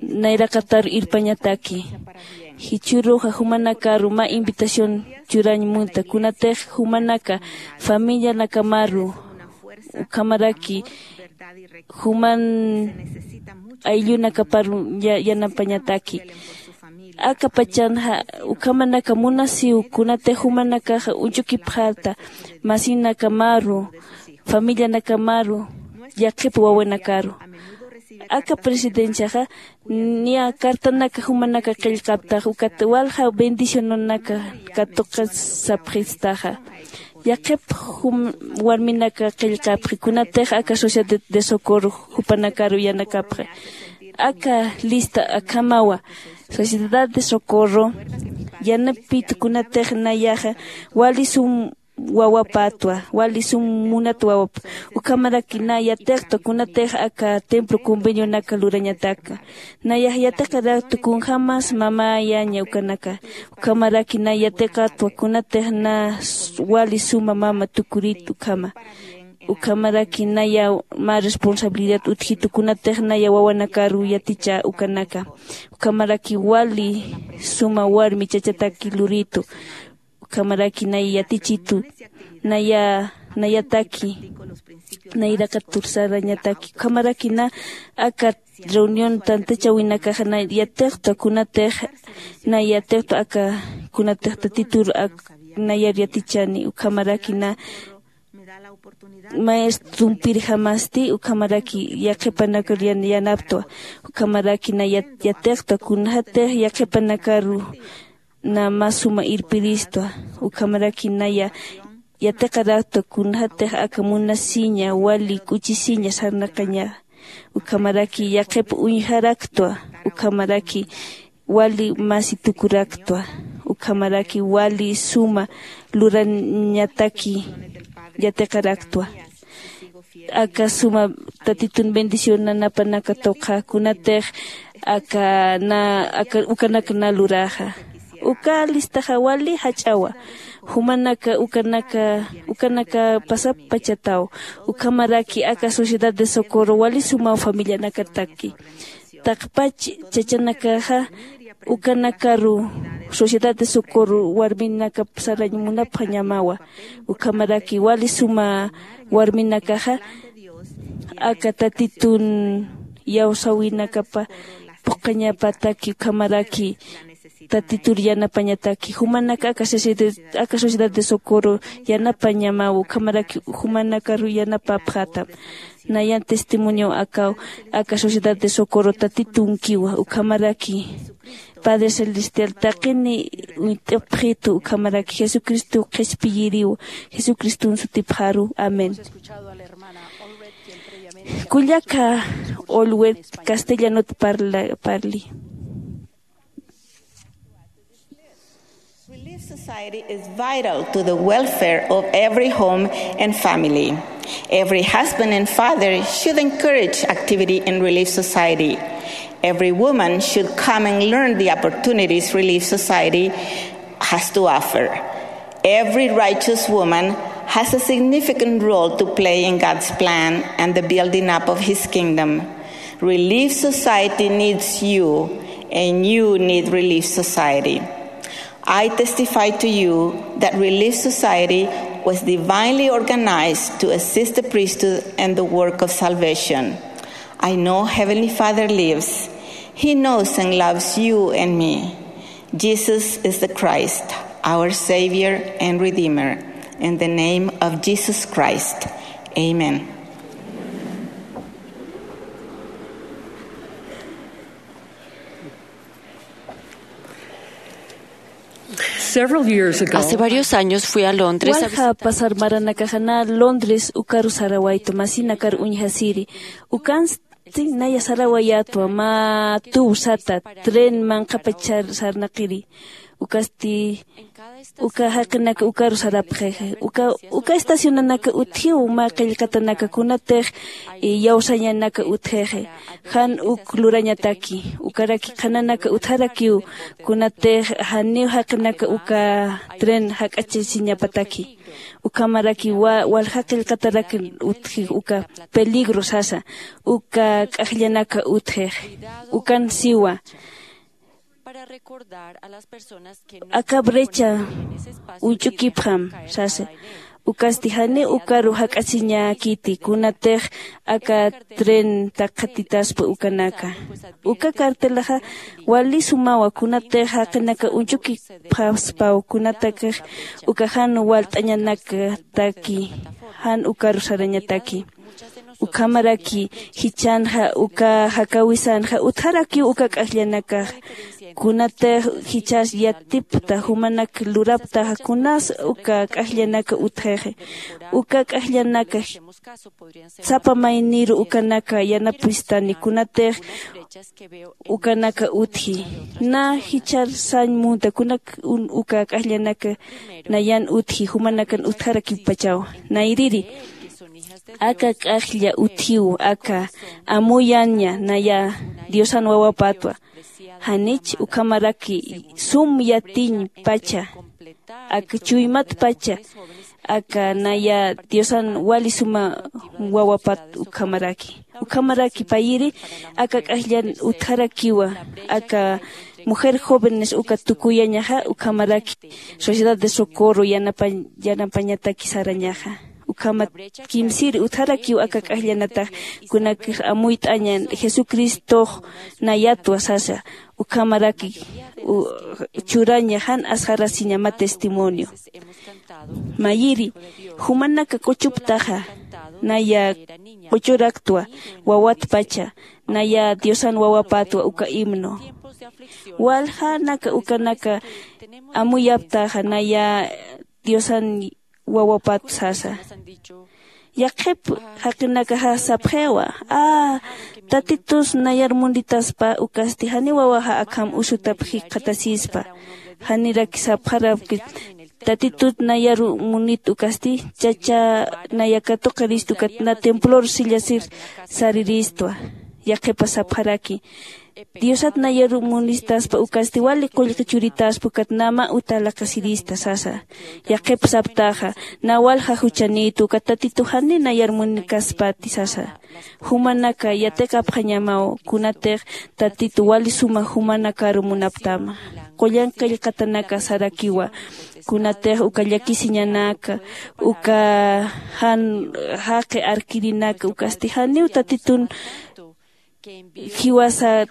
nayraqataru irpañataki. Jichhüruxa jumanakaru mä invitación churañ munta kunatix jumanaka familianakamaru ukhamaraki juman ayllunakaparu yanapañataki. Akapachanxa ukhamanaka munasiw kunatix jumanakaxa uñchukipxata masinakamaru familianakamaru yaqhip wawanakaru. Aka presidenciaxa niya cartanaka jumanaka qillqaptaxa ukat walja bendicionanaka katuqasapxistaxa. Yaqhip warminaka qillqapxi kunatix aka sociedad de socorro jupanakaru yanakapxi. Aka lista akhamawa sociedad de socorro yanapit kunatix nayaxa wali sum wawapatwa wali sum munat wawap. Ukhamaraki na yatiqtwa kunatix aka templo convenionaka lurañataka. Nayax yatiqaraktu kunjämas mamäyaña ukanaka. Ukhamaraki na yatiqatwa kunatix na wali suma mama tukurit ukhama. Ukhamaraki naya mä responsabilidad utjitu kunatix naya wawanakaru yaticha ukanaka. Ukhamaraki wali suma warmi chachataki luritu. Ukhamaraki naya yatichitu, naya nayataki, nayraqatur sarañataki ukhamaraki na aka reunión tantachawinakaxa na yatiqta kunatix, na yatiqta aka kunatix tatitur ak nayar yatichani ukhamaraki na maestrompirjamasti ukhamaraki yaqhipanakar yanaptwa. Ukhamaraki na yatiqta kunjatix yaqhipanakaru na mä suma irpiristwa. Ukhamaraki naya yatiqaraktwa kunjatix aka munasiña wali k'uchisiña sarnaqañaxa. Ukhamaraki yaqhip uñjaraktwa. Ukhamaraki wali masi tukuraktwa. Ukhamaraki wali suma lurañataki yatiqaraktwa. Aka suma tatitun bendición nanapanaka tuqha kunatix aka na aka ukanak na luraxa. Uka listaxa wali jach'awa. Jumanaka ukanaka ukanaka pasapachataw. Ukhamaraki aka sociedad de socorro wali sumaw familianakataki. Taqpach chachanakaxa ukanakaru sociedad de socorro warminakap sarañ munapxañamawa. Ukhamaraki wali suma warminakaxa aka tatitun iyawsäwinakapa phuqhañapataki ukhamaraki tatitur yanapañataki jumanaka aka sociedad de socorro yanapañamaw ukhamaraki jumanakaru yanapapxätam. Nayan testimonio akaw aka sociedad de socorro tatitunkiwa ukhamaraki padre celestial taqini uñt'apxitu ukhamaraki jesucristo qhispiyiriw. Jesucriston sutipxaru amén. Kullaka olwet castellanot parli. Relief Society is vital to the welfare of every home and family. Every husband and father should encourage activity in Relief Society. Every woman should come and learn the opportunities Relief Society has to offer. Every righteous woman has a significant role to play in God's plan and the building up of His kingdom. Relief Society needs you, and you need Relief Society. I testify to you that Relief Society was divinely organized to assist the priesthood and the work of salvation. I know Heavenly Father lives. He knows and loves you and me. Jesus is the Christ, our Savior and Redeemer. In the name of Jesus Christ, amen. Several years ago, hace varios años fui a Londres a walja visitar pasar maranakaxa na Londres ukaru sarawaytu masinakar uñjasiri. Ukansti naya sarawayätwa mä tuw sata tren manqhapachar sarnaqiri. Ukasti uka jaqinaka ukaru sarapxixa uka uka estacionanaka utjiw mä qillqatanaka kunatix iyawsañanaka utjixa. Jan uk lurañataki ukaraki qhananaka utjarakiw kunatix janiw jaqinaka uka tren jak'achasiñapataki. Ukhamaraki walja qillqatarakin utjix uka peligro sasa uka k'ajllanaka utjix. Ukan siwa aka brecha uñch'ukipxam sasa. Ukasti janiw ukaru jak'asiñäkiti kunatix aka tren taqhatitaspa ukanaka. Uka cartelaxa wali sumawa kunatix jaqinaka uñch'ukipxaspaw kunatakix uka jan walt'añanakataki jan ukaru sarañataki. Ukhamaraki jichhanxa uka jakawisanxa utjarakiw uka k'ajllanakaxa. Kunatix jichhas yatipta jumanak luraptaxa kunas uka k'ajllanaka utjixi. Uka k'ajllanaka sapa mayniru ukanaka yanapistani kunatix ukanaka utji. Na jichhar sañ munta kunak uka k'ajllanaka nayan utji jumanakan utjarakippachaw. Nayriri aka k'ajlla utjiw aka amuyaña naya diosan wawapatwa. Janich ukhamaraki sum yatiñ pacha aka chuymat pacha aka naya diosan wali suma wawapat ukhamaraki. Ukhamaraki payiri aka k'ajllan utjarakiwa aka mujer jóvenes uka tukuyañaxa ukhamaraki sociedad de socorro yanapañataki sarañaxa. Ukhamat kimsiri utjarakiw aka k'ajllanatax kunakix amuyt'aña jesucristox nayatwa sasa. Ukhamaraki churaña jan asxarasiñama testimonio. Mayiri jumanaka k'uchuptaxa naya k'uchuraktwa wawatpacha naya diosan wawapatwa uka himno. Waljanaka ukanaka amuyaptaxa naya diosan wawapat sasa. Yaqhip jaqinakaxa sapxiwa a tatitus nayar munitaspa ukasti janiw wawaxa akham usutap jikxatasispa. Janiraki sapxarapki tatitut nayar munit ukasti chacha naya katuqirist ukat na templor sillasir sariristwa. Yaqhipa sapxaraki diosat nayar munistaspa ukasti wali qullqi churitaspa ukat nama uta laqasirista sasa. Yaqhip saptaxa na walja juchanït ukat tatitu jani nayar munikaspati sasa. Jumanaka yatiqapxañamaw kunatix tatitu wali suma jumanakaru munaptama. Qullan qillqatanaka sarakiwa kunatix uka llakisiñanaka uka jan jaqi arkirinaka ukasti janiw tatitun jiwasa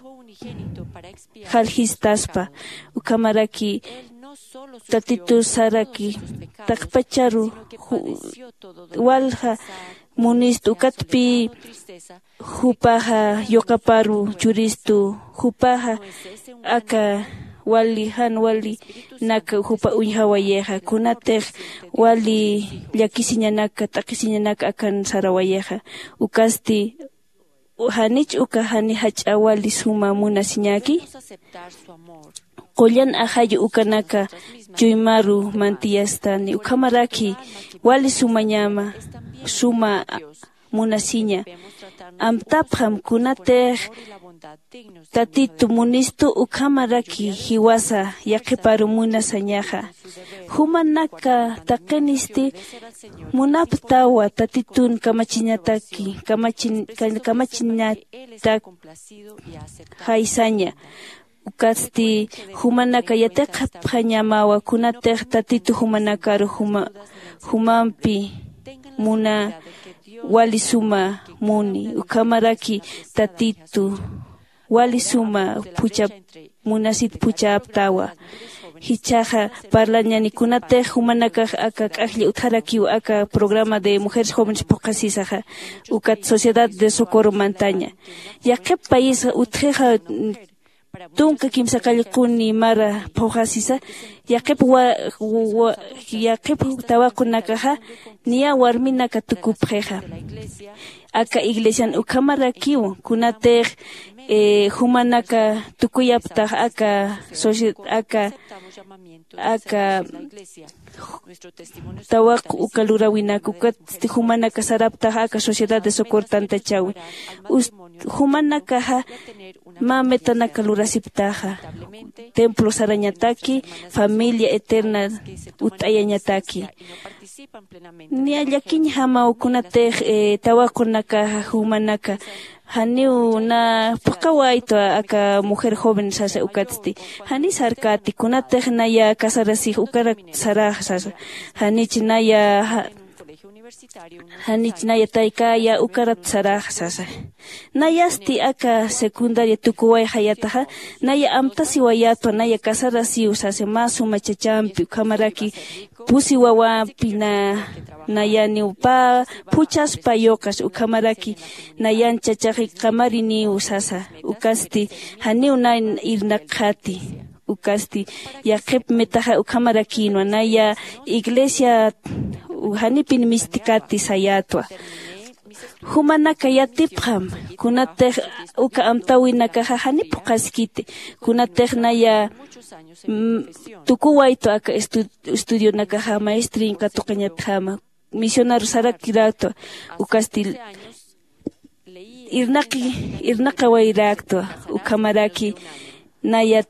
jaljistaspa. Ukhamaraki tatitusaraki taqpacharu walja munist ukatpi jupaxa yuqaparu churistu jupaxa aka wali jan wali naka jupa uñjawayixa kunatix wali llakisiñanaka t'aqhisiñanaka akan sarawayixa. Ukasti janich uka jani jach'a wali suma munasiñaki qullan ajayu ukanaka chuymaru mantiyastani ukhamaraki wali sumañama suma munasiña. Amtapxam kunatix tatitu munistu ukhamaraki jiwasa yaqhiparu munasañaxa. Jumanaka taqinisti munaptawa tatitun kamachiñataki kamachiñatak jaysaña. Ukatsti jumanaka yatiqapxañamawa kunatix tatitu jumanakaru jumampi muna wali suma muni ukhamaraki tatitu wali suma phuchap munasit phuchaptawa. Jichhaxa parlañani kunatix jumanakax aka k'ajlli utjarakiw aka programa de mujeres jóvenes phuqhasisaxa ukat sociedad de socorro mantaña. Yaqhip payisxa utjixa tunka kimsa qallquni mara phuqhasisa yaqhip tawaqunakaxa niya warminaka tukupxixa. Aka iglesian ukhamarakiw kunatix jumanaka tukuyaptax aka aka aka tawaq uka luräwinak ukatsti jumanaka saraptaxa aka sociedad de socorro tantachawi. Jumanakaxa mä metanaka lurasiptaxa templo sarañataki familia eterna utt'ayañataki. Niya llakiñjamaw kunatix tawaqunakaxa jumanaka janiw na phuqhawaytwa aka mujer joven sasa ukatsti jani sarkäti kunatix naya casarasix ukarak sarax sasa. Janich naya janich naya taykäya ukarat sarax sasa. Nayasti aka secundaria tukuwayxayataxa naya amtasiwayatwa naya casarasiw sasa mä suma chachampi ukhamaraki pusi wawampi na nayaniw pä phuchhaspa yuqas ukhamaraki nayan chachaxi qamariniw sasa. Ukasti janiw na irnaqxati. Ukasti yaqhip metaxa ukhamarakïnwa naya iglesia janipin mistikati sayätwa. Jumanaka yatipxam kunatix uka amtäwinakaxa jani phuqhaskiti kunatix naya tukuwaytwa aka estudionakaxa maestrin katuqañatjama misionaru sarakiräktwa. Ukasti irnaqi irnaqawayräktwa ukhamaraki naya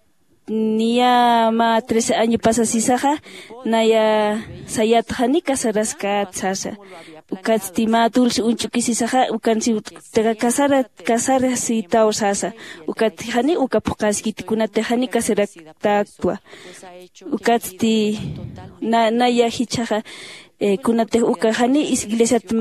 niya mä trece año pasasisaxa naya sayat jani casaraskät sasa. Ukatsti mä dulce uñch'ukisisaxa ukansiwtxa casarasitaw sasa. Ukatsti jani uka phuqaskiti kunatix jani casaraktäktwa. Ukatsti naya jichhaxa kunatix uka jani iglesiat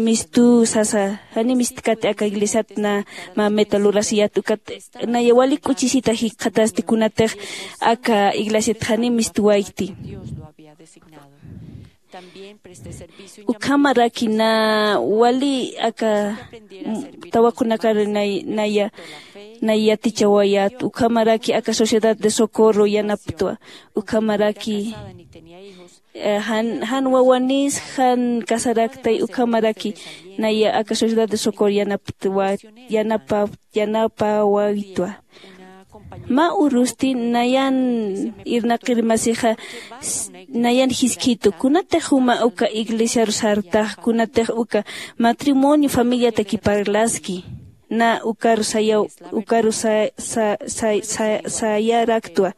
mistu sasa jani mistkati aka iglesiat na mä meta lurasiyat ukat naya wali k'uchisita jikxatasti kunatix aka iglesiat jani mistwaykti. Ukhamaraki na wali aka tawaqunakar naya naya yatichawayat ukhamaraki aka sociedad de socorro yanaptwa. Ukhamaraki jan wawanis jan casaraktay ukhamaraki naya aka sociedad de socorro yanaptwa yanapa yanapawaytwa. Mä urusti nayan irnaqir masixa nayan jiskhitu kunatix juma uka iglesiaru sartax kunatix uka matrimonio familiataki parlaski na ukaru sayaw ukaru sayaraktwa.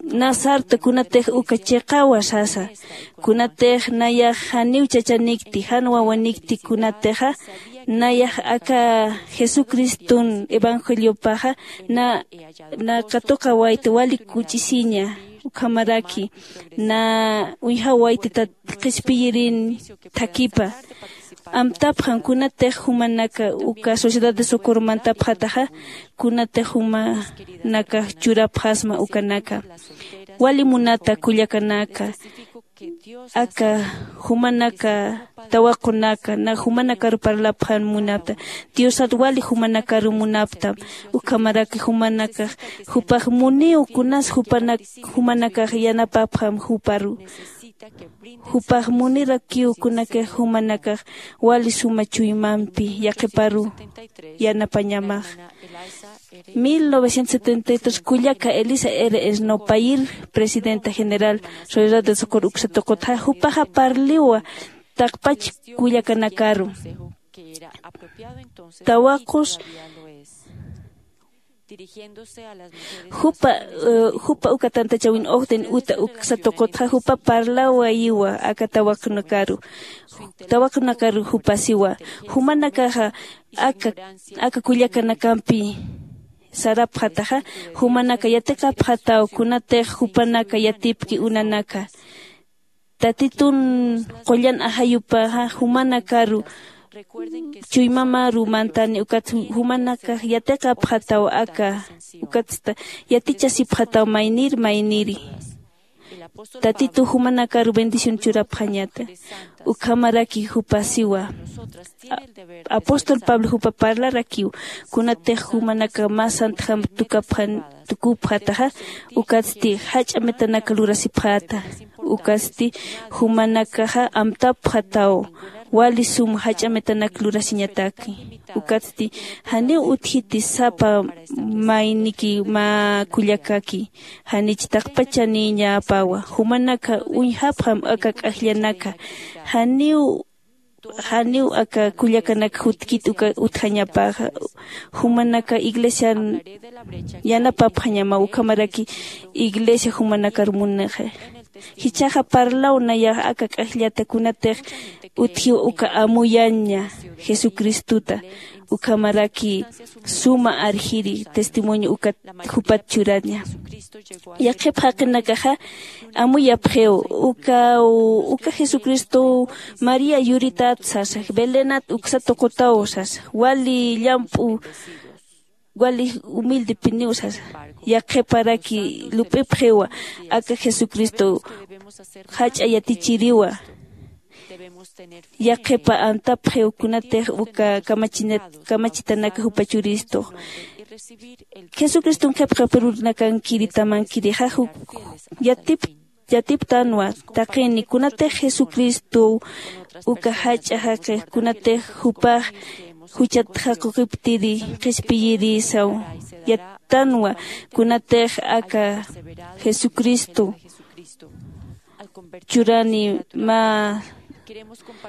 Na sarta kunatix uka chiqawa sasa kunatix nayax janiw chachanikti jan wawanikti kunatixa nayax aka jesucriston evangeliopaxa na na katuqawayti wali kuch'isiña ukhamaraki na uñjawayti qhispiyirin thakhipa. Amtapxam kunatix jumanaka uka sociedad de socorro mantapxataxa kunatix jumanakax churapxasma ukanaka wali munata kullakanaka aka jumanaka tawaqunaka na jumanakaru parlapxan munapta diosat wali jumanakaru munaptam. Ukhamaraki jumanakax jupax muniw kunas jupanak jumanakax yanapapxam juparu jupax munirakiw kunakix jumanakax wali suma chuymampi yaqhiparu yanapañamax. Mil novecientos setenta y tres kullaka elisa r esnopayir presidenta general soledad de socor uksa tuqutxa jupaxa parliwa taqpach kullakanakaru tawaqus jupa jupa uka tantachawin ojden uta uksa tuqutxa jupa parlawayiwa aka tawaqnakaru tawaqnakaru jupasiwa jumanakaxa aka aka kullakanakampi sarapxataxa jumanaka yatiqapxataw kunatix jupanaka yatipki unanaka tatitun qullan ajayupaxa jumanakaru chuymamaru mantani ukat jumanakax yatiqapxataw aka ukatsta yatichasipxataw maynir mayniri tatitu jumanakaru bendición churapxañata. Ukhamaraki jupasiwa apóstol pablo jupa parlarakiw kunatix jumanaka mä santjam tukapxan tukupxataxa ukatsti jach'a metanaka lurasipxata ukatsti jumanakaxa amtapxataw wali sum jach'a metanak lurasiñataki ukatsti janiw utjiti sapa mayniki mä kullakaki janich taqpachaniñapawa jumanaka uñjapxam aka k'ajllanaka janiw janiw aka kullakanak jutkit uka utjañapaxa jumanaka iglesian yanapapxañama ukhamaraki iglesia jumanakar munixa jichhaxa parlaw nayax aka k'ajllata kunatix utjiw uka amuyaña jesucristuta ukhamaraki suma arjiri testimonio ukat jupat churaña. Yaqhip jaqinakaxa amuyapxiw uka uka jesucristow maría yuritat sasa belenat uksa tuqutaw sasa wali llamp'u wali humildepiniw sasa yaqhiparaki lup'ipxiwa aka jesucristow jach'a yatichiriwa yaqhipa antapxiw kunatix uka kamachitanaka jupa churistux jesucriston qhipqapirunakankiri tamankirixa yatip yatiptanwa taqini kunatix jesucristow uka jach'a jaqix kunatix jupax juchat jaquqiptiri qhispiyirisaw yattanwa kunatix aka jesucristo churani mä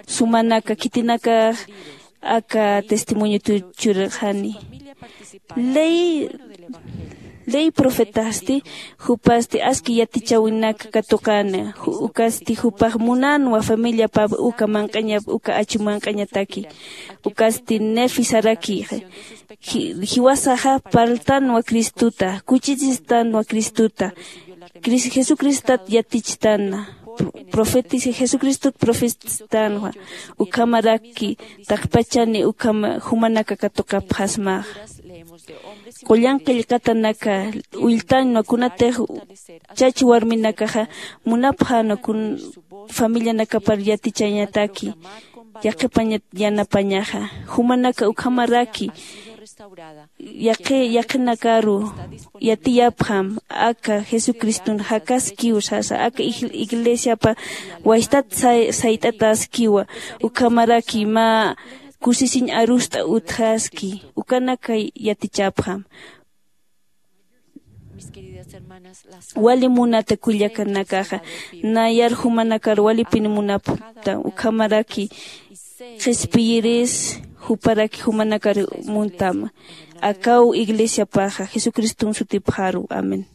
sumanaka khitinakax aka testimonio churxani ley ley profetasti, jupasti aski yatichäwinaka katuqäna. Ju- ukasti jupax munänwa familiapap uka manq'añap uka achu manq'añataki. Ukasti Nefi saraki, ji- jiwasaxa parltänwa Cristota, kuchisistanwa Cristota. Cris- jesucristat yatichtanwa. Profetis jesucristot profetstanwa. Ukhamaraki taqpachani ukhama jumanaka katuqapxasmaxa. Qullan qillqatanaka ulltanwa kunatix chach warminakaxa munapxänwa kun familianakapar yatichañataki. Yaqipañat yanapañaxa jumanaka ukhamaraki yaqi yaqinakaru yatiyapxam. Aka jesucriston jakaskiw sasa aka ig- iglesiapa waystat say- sayt'ataskiwa. Ukhamaraki mä kusisiñ arust'a utjaski ukanaka yatichapxam. Wali munata kullakanakaxa nayar jumanakar walipin munapxta ukhamaraki qhispiyiris juparaki jumanakar muntama. Akaw iglesiapaxa jesucriston sutipxaru. Amén.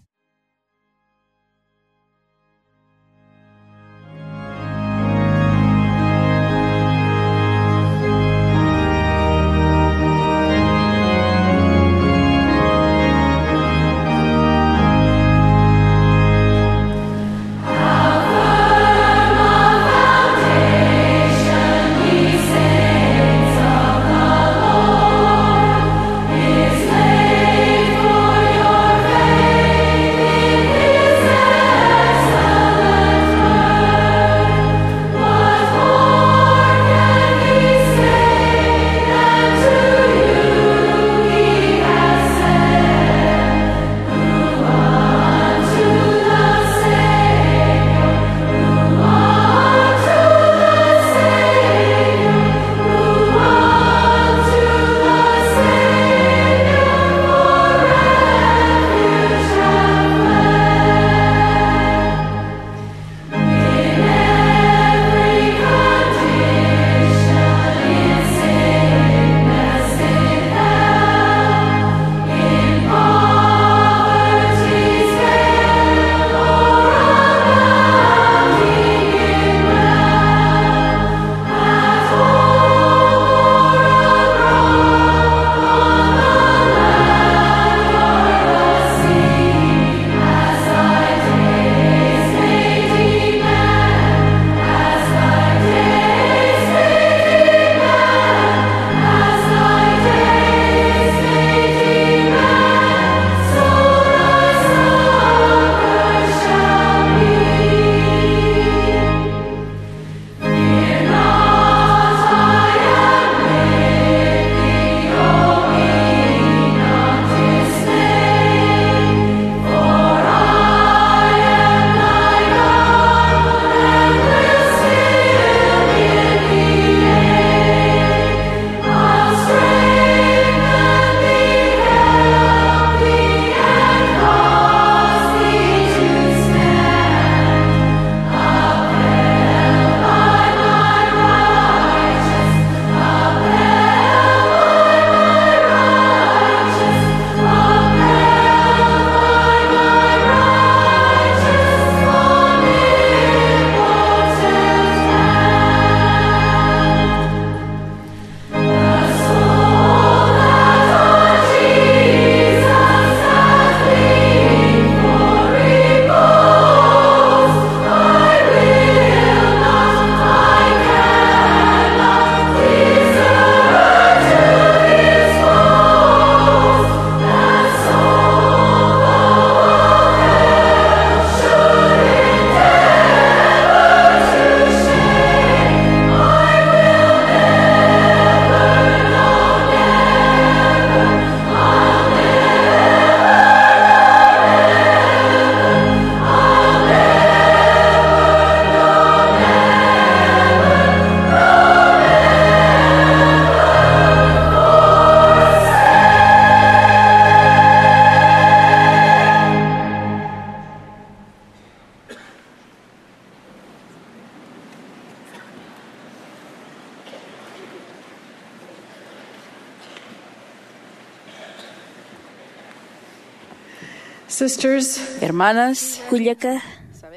Sisters, hermanas, kullaka,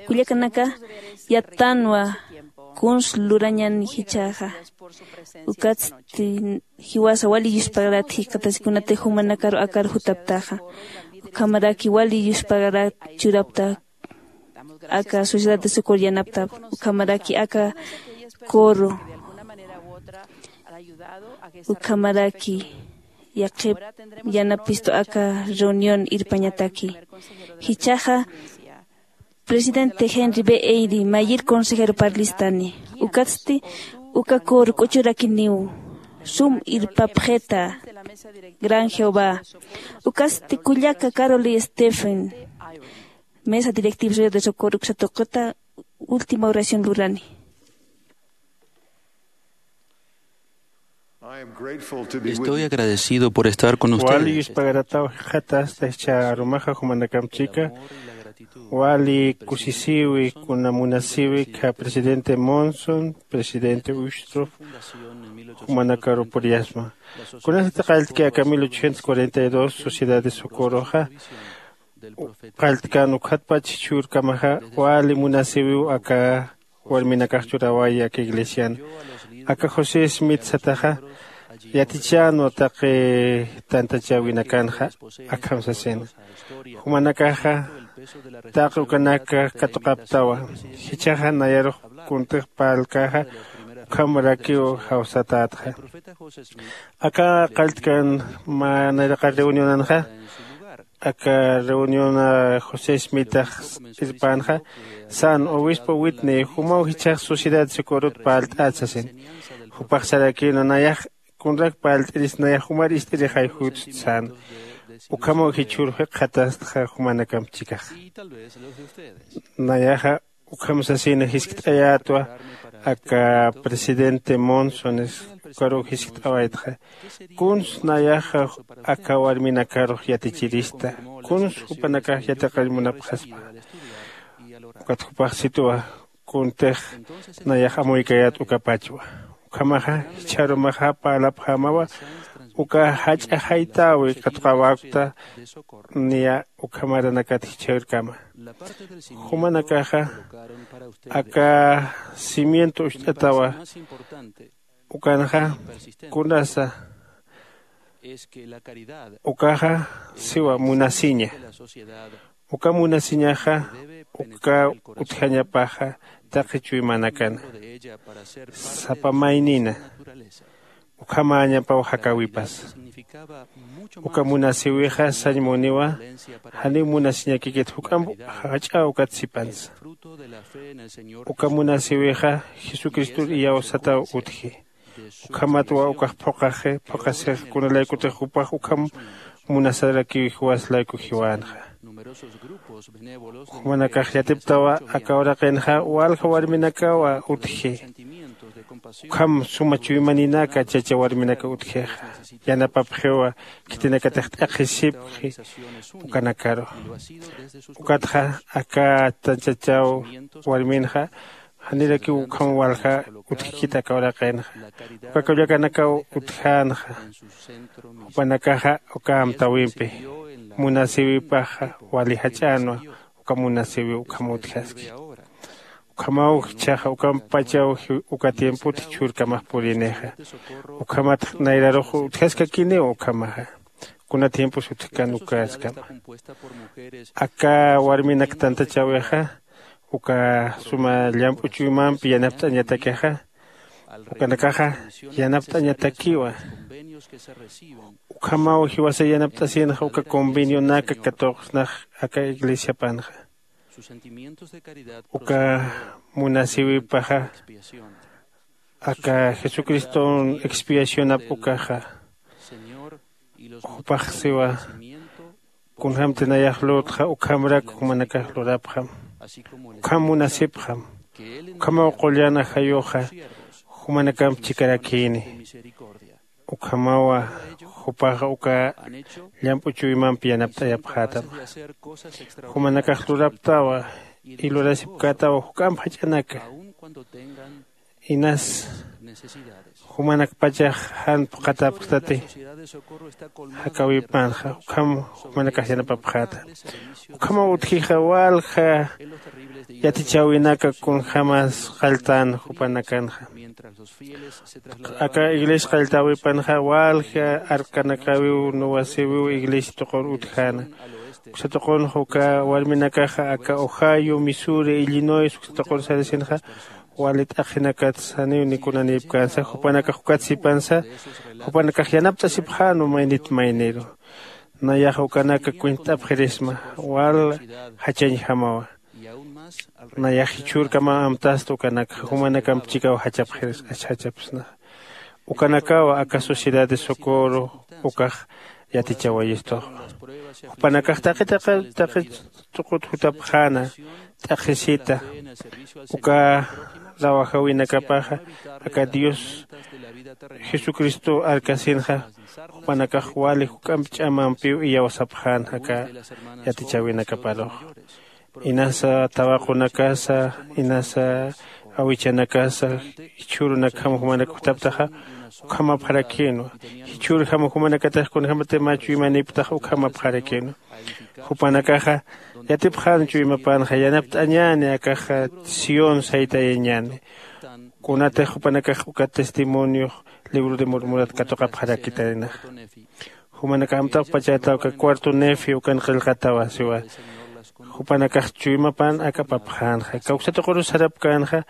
kullakanaka, yattanwa kuns lurañan jichhaxa. Ukatsti jiwasa wali yuspagarat jikxatasikunati jumanakaru akar jutaptaxa. Ukhamaraki wali yuspagarat churapta aka Sociedad de Socorro yanaptap. Ukhamaraki aka coro, ukhamaraki yaqhip yanapistu aka reunión irpañataki. Jichhaxa presidente Henry B. Eyre mayir consejero parlistani. Ukatsti uka coro k'uchurakiniw sum irpapxita gran Jehová. Ukatsti kullaka Carol y Stephen, mesa directiva Sociedad de Socorro uksa tuqita última oración lurani. Estoy agradecido por estar con ustedes. Wali yuspagarataw jikxatasta jichha arumaxa jumanakamp chika. Wali kusisiwi kuna munasiwi kha presidente Monson, presidente Uchtrup, jumanakaru puriyasma. Kunasati qalltki aka mil ochocientos cuarenta y dos Sociedad de Socorroxa qalltkan ukhatpach jichhürkamaxa wali munasiwiw aka warminakax churawaya aka iglesian. Aka José Smith sataxa yatichänwa taqi tantachäwinakanxa akham sasina. Jumanakaxa taqi ukanaka katuqaptawa. Jichhaxa nayarux kuntix parlkaxa ukhamarakiw jawsatätxa. Aka qalltkan mä nayraqar reunionanxa aka reunión José Smithax irpänxa, sän obispo Whitney jumaw jichhax Sociedad Socorrot parlt'at sasin. Jupax sarakïna nayax kunrak parlt'iris nayax jumar ist'irixay jutst sän. Ukhamaw jichhür jikxatastxa jumanakamp chikaxa. Nayaxa ukham sasina jiskt'ayätwa aka presidente Monsones ukaruw jiskt'awaytxa. Kuns nayaxa aka warminakarux yatichirista, kuns jupanakax yatiqir munapxaspa. Ukat jupax sitwa kuntix nayax amuykayät ukapachwa. Ukhamaxa jichharumaxa parlapxämawa uka jach'a jaytäwi katuqawäkta niya ukhamaranakat jichhürkama. Jumanakaxa aka cimiento ucht'atawa. Ukanxa kunasa ukaxa siwa munasiña. Uka munasiñaxa uka utjañapaxa taqi chuymanakana sapa maynina ukhamäñapaw jakäwipas. Uka munasïwixa sañ muniwa janiw munasiñakikit juk'amp jach'a ukat sipansa. Uka munasïwixa jesucristor iyawsataw utji. Ukhamatwa ukax phuqhaxi phuqhasix kunalaykutix jupax ukham munasarakiw jiwas layku jiwänxa. Jumanakax yatiptawa aka uraqinxa walja warminakawa utji. Ukham suma chuymaninaka chacha warminaka utjixa yanapapxiwa khitinakatix t'aqhisipxi ukanakaru. Ukatxa aka tanchachaw warminxa janirakiw ukham walja utjkit aka uraqinxa. Uka kullakanakaw utjänxa jupanakaxa uka amtäwimpi munasïwipaxa wali jach'änwa. Uka munasïwiw ukham utjaski. Ukhamaw jichhaxa ukampachaw uka tiempot jichhürkamax purinixa. Ukhamat nayrarux utjaskakiniw ukhamaxa kuna tiempos utjkan ukaskama. Aka warminak tantachäwixa uka suma llamp'u chuymampi yanapt'añatakixa ukanakaxa yanapt'añatakiwa. Ukhamaw jiwasa yanapt'asinxa uka convenionaka katuqsnax aka iglesiapanxa. Uka munasïwipaxa aka jesucriston expiacionap ukaxa jupax siwa kunjämti nayax lurtxa ukhamrak jumanakax lurapxam. Ukham munasipxam. Ukhamaw qullan ajayuxa jumanakamp chikarakïni. Ukhamawa jupaxa uka llamp'u chuymampi yanapt'ayapxätam. Jumanakax luraptawa y lurasipkätawa juk'amp jach'anaka inas Jumanakpachax jan phuqhatapxtati. Jakäwipanxa ukham jumanakax yanapapxäta. Ukhamaw utjixa walja yatichäwinaka kunjämas qalltän jupanakanxa. Aka iglesia qalltäwipanxa walja arkanakawiw nuwasiwiw iglesia tuqur utjäna. Uksa tuqunxa uka warminakaxa aka ohio missouri illinois uksa tuqur sarasinxa wali t'aqhinakat saniw nikunanïpkänsa jupanakax ukat sipansa. Jupanakax yanapt'asipxäna maynit mayniru. Nayaxa ukanaka kwintt'apxirisma wal jachañjamawa. Nayax jichhürkamaw amtasta ukanakxa jumanakamp chikaw jachapxiris jachapsnaxa. Ukanakawa aka sociedad de socorro ukax yatichawayistux. Jupanakax taqi taqi taqi tuqut jutapxäna t'aqhisita uka rawajawinakapaxa aka dios jesucristo arkasinxa jupanakax wali juk'amp ch'amampiw iyawsapxän aka yatichäwinakaparux. Inasa tawaqunakasa inasa awichanakasa jichhürunakjam jumanak jutaptaxa ukhamapxarakïnwa. Jichhürjam jumanakatax kunjämati mä chuymanïpktaxa ukhamapxarakïnwa. Jupanakaxa yatipxän chuymapänxa yanapt'añäni akaxa sión saytayañäni. Kunatix jupanakax uka testimoniox libro de murmurat katuqapxarakitaynaxa. Jumanakax amtapxpachätaw uka cuarto nefi ukan qillqatawa siwa. Jupanakax chuymapan ak'apapxänxa kawksa tuqurus sarapkänxa.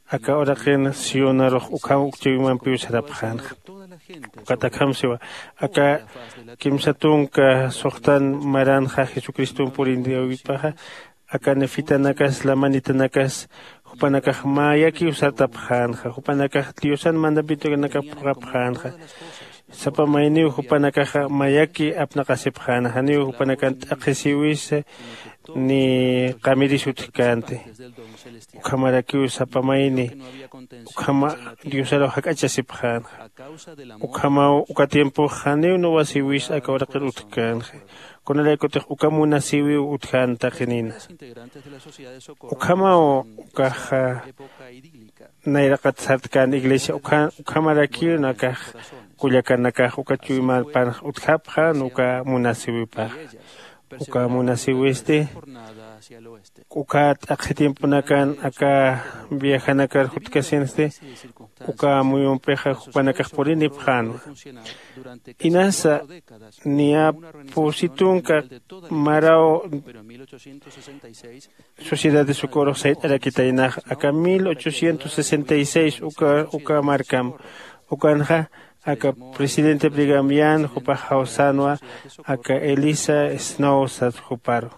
Aka uraqin sionarux ukham uk chuymampiw sarapxänxa. Ukat akham siwa aka kimsa tunka suxtan maranxa jesucriston puriniwipaxa aka nefitanakas lamanitanakas jupanakax mayakiw sartapxänxa jupanakax diosan mandamientonakap phuqhapxänxa. Sapa mayniw jupanakaxa mayaki apnaqasipxäna janiw jupanakan t'aqhisiwisa ni qamiris utjkänti. Ukhamarakiw sapa mayni ukhama diosaruw jak'achasipxänxa. Ukhamaw uka tiempox janiw nuwasiwis aka uraqir utjkänxa. Kunaraykutix uka munasiwiw utjän taqinina. Ukhamaw ukaxa nayraqat sartkän iglesia ukhamarakiw nakax kullakanakax uka chuymapanx utjapxän uka munasiwipaxa. Uka munasiwisti uka t'aqhi tiemponakan aka viajanakar jutkasinsti uka amuyumpixa jupanakax purinipxänwa. Inasa niya pusi tunka maraw sociedad de socorrox sayt'arakitaynax aka mil ochocientos sesenta y seis uka uka markam ukanxa aka presidente brigamian jupax jawsänwa aka elisa snow sat juparu.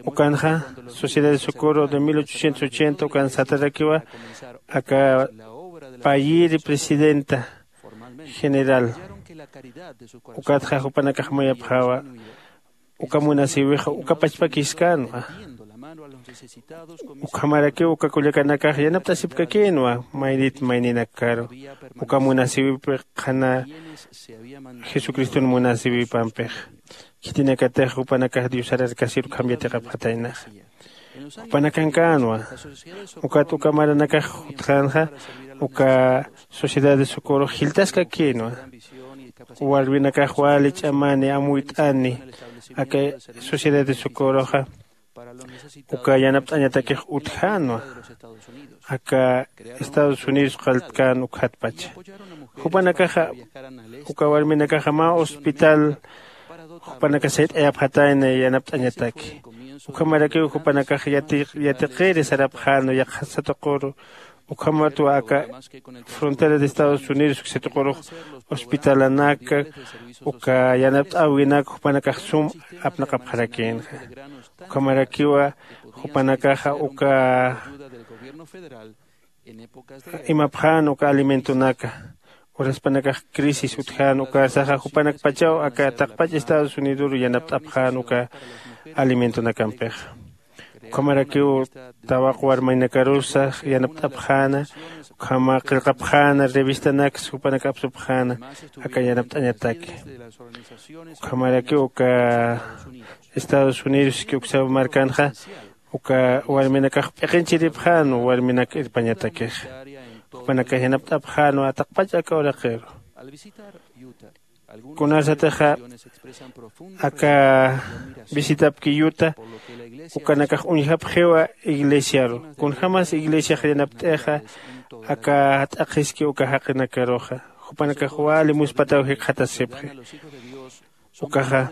Ukanxa sociedad de socorro de mil ochocientos ochenta ukan satarakiwa aka payiri presidenta general. Ukatxa jupanakax mayapxawa uka munasiwixa uka pachpakiskänwa. Ukhamarakiw uka kullakanakax yanapt'asipkakïnwa maynit mayninakkaru uka munasiwipi qhana jesucriston munasiwipampix. Khitinakatix jupanakax diosar arkasir ukham yatiqapxataynaxa. Jupanakankanwa ukat uka maranakax jutxänxa uka sociedad de socorro jiltaskakïnwa. Warwinakax wali ch'amani amuyt'ani aka sociedad de socorroxa uka yanapt'añatakix utjänwa aka estados unidos qalltkän ukjatpacha. Jupanakaxa uka warminakaxa mä hospital jupanaka sayt'ayapxatayna yanapt'añataki. Ukhamarakiw jupanakax yatiqiri sarapxänwa yaqhasa tuquru ukhamatwa aka frontera de estados unidos uksa tuqurux hospitalanaka uka yanapt'äwinak jupanakax sum apnaqapxarakïnxa. Ukhamarakiwa jupanakaxa uka imapxän uka alimentonaka uraspanakax crisis utjän ukarsaxa jupanakpachaw aka taqpach estados unidoru yanapt'apxän uka alimentonakampixa. Ukhamarakiw tawaq warmaynakarusa yanapt'apxäna ukhama qillqapxäna revistanaksa jupanak apsupxäna aka yanapt'añataki. Ukhamarakiw uka estados unidos ki uksa markanxa uka warminakax p'iqinchiripxän warminak irpañatakixa. jupanakax yanapt'apxänwa taqpach aka uraqiru. Kunasatixa aka visitapki yuta ukanakax uñjapxiwa iglesiaru. Kunjämas iglesiax yanapt'ixa aka t'aqhiski uka jaqinakaruxa, jupanakax wali muspataw jikxatasipxi. Ukaxa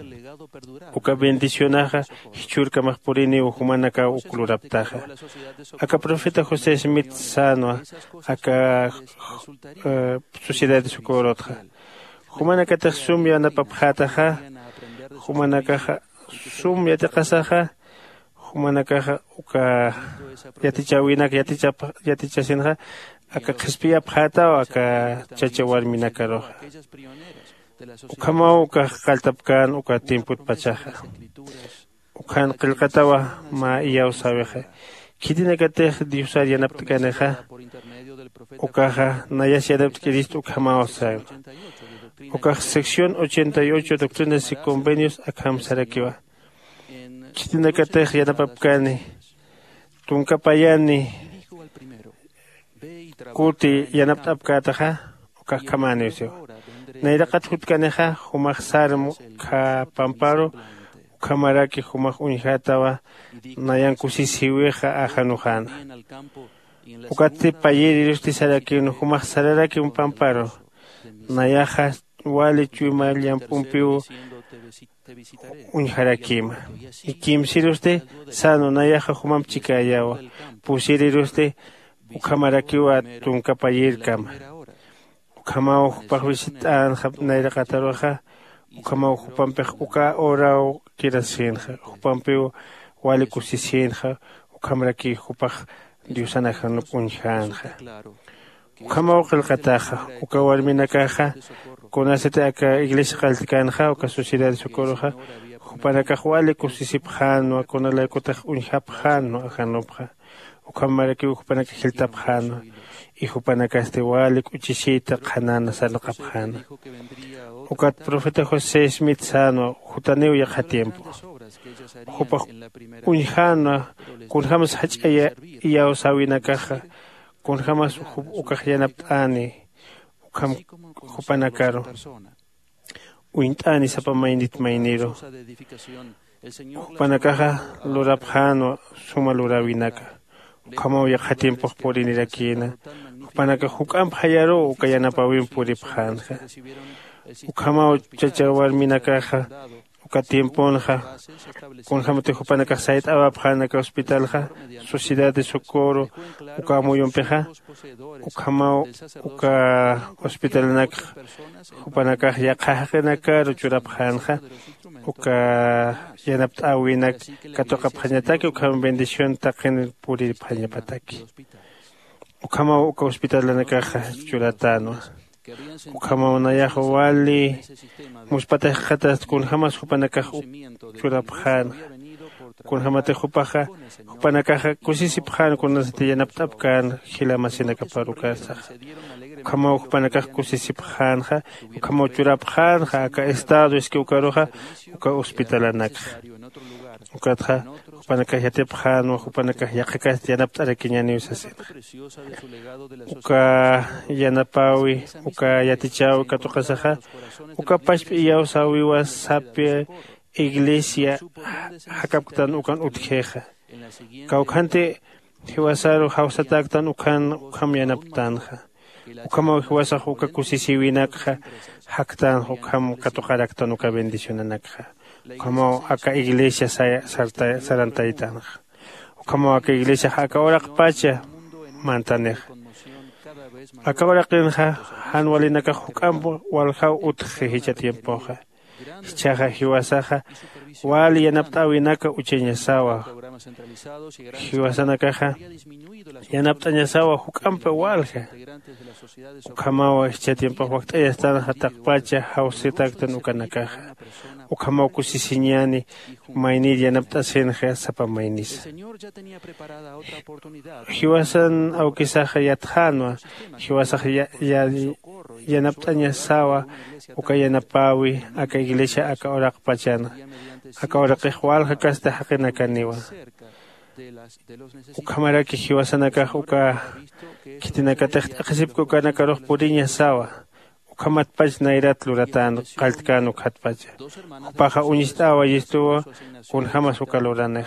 uka bendicionaxa jichhürkamax puriniw jumanakaw uk luraptaxa. Aka profeta josé smith sänwa aka sociedad de socorrotxa. Jumanakatix sum yanapapxätaxa, jumanakaxa sum yatiqasaxa, jumanakaxa uka yatichäwinak yatichasinxa aka qhispiyapxätaw aka chacha warminakaruxa. Ukhamaw ukax qalltapkän uka tiempotpachaxa. Ukhan qillqatawa mä iyawsäwixa. Khitinakatix diosar yanapt'kanixa ukaxa nayas yanapt'kirist ukhamaw sänwa. Ukax sección ochenta y ocho doctrinas y convenios akham sarakiwa. Khitinakatix yanapapkani tunka payani kuti yanapt'apkätaxa ukax khamäniw siwa. Nayraqat jutkanixa jumax sarm kha pamparu ukhamaraki jumax uñjätawa nayan kusisïwixa ajanuxäna. Ukatsti payïrirusti sarakïnwa jumax sararakim pamparu nayaxa wali chuyma llamp'umpiw uñjarakïma. Ikïmsirusti sänwa nayaxa jumamp chikäyawa. Pusirirusti ukhamarakiwa tunka payïrkama. Ukhamaw jupax visit'änxa nayraqataruxa. Ukhamaw jupampix uka horaw kirasïnxa jupampiw wali kusisïnxa. Ukhamarakiw jupax diosan ajanup uñjänxa. Ukhamaw qillqataxa uka warminakaxa kunasati aka iglesia qalltkänxa uka sociedad de socorroxa jupanakax wali kusisipxänwa kunalaykutax uñjapxänwa ajanupxa. Ukhamarakiw jupanakax jiltapxänwa. Y jupanakasti wali k'uchisiyta qhanäna sarnaqapxäna. Ukat profeta josé smith sänwa jutaniw yaqha tiempo jupax uñjänwa kunjämas jach'a iyawsäwinakaxa kunjämas ukax yanapt'äni. Ukham jupanakaru uñt'äni sapa maynit mayniru jupanakaxa lurapxänwa suma luräwinaka. Ukhamaw yaqha tiempox purinirakïna jupanakax juk'amp jayaruw uka yanapäwimp puripxänxa. Ukhamaw chacha warminakaxa uka tiemponxa kunjämatix jupanakax sayt'awapxänaka hospitalxa sociedad de socorro uka amuyumpixa ukhamaw uka hospitalanakxa jupanakax yaqha jaqinakaru churapxänxa. Uka yanapt'äwinak katuqapxañataki ukham bendición taqin puriripxañapataki. Ukhamaw uka hospitalanakaxa churatänwa. Ukhamaw nayax wali muspatax jikxatast kunjämas jupanakax churapxänxa. Kunjämatix jupaxa jupanakaxa kusisipxän kunasati yanapt'apkän jila masinakaparukäsaxa. Ukhamaw jupanakax kusisipxänxa ukhamaw churapxänxa aka estado iski ukaruxa uka hospitalanakxa. Ukatxa jupanakax yatipxänwa jupanakax yaqhakasti yanapt'arakiñäniw sasinxa. Uka yanapäwi uka yatichäwi katuqasaxa uka pachp'i iyawsäwiwa saphi iglesia jakapktan ukan utjixa. Kawkhanti jiwasaru jawsatäktan ukhan ukham yanaptänxa. Ukhamaw jiwasax uka kusisïwinakxa jaktänxa ukham katuqaraktan uka bendicionanakxa. Ukhamaw aka iglesia sarantaytanxa. Ukhamaw aka iglesiax aka uraqpacha mantanixa. Aka uraqinxa jan walinakax juk'amp waljaw utxi jichha tiempoxa. Jichhaxa jiwasaxa wali yanapt'äwinaka uchañasawa. Jiwasanakaxa yanapt'añasawa juk'ampi walja. Ukhamaw jichha tiempox wakt'ayastanxa taqpacha jawsitaktan ukanakaxa. Ukhamaw kusisiñäni maynir yanapt'asinxa sapa maynisa. Jiwasan awkisaxa yatxänwa jiwasax yanapt'añasawa uka yanapäwi aka iglesia aka uraqpachanxa. Aka uraqix walja kasta jaqinakaniwa. Ukhamaraki jiwasanakax uka khitinakatix t'aqhisipki ukanakarux puriña sawa. Ukhamatpach nayrat luratan qalltkän ukhatpacha. Jupaxa uñist'awa yistuwa kunjämas uka luranix.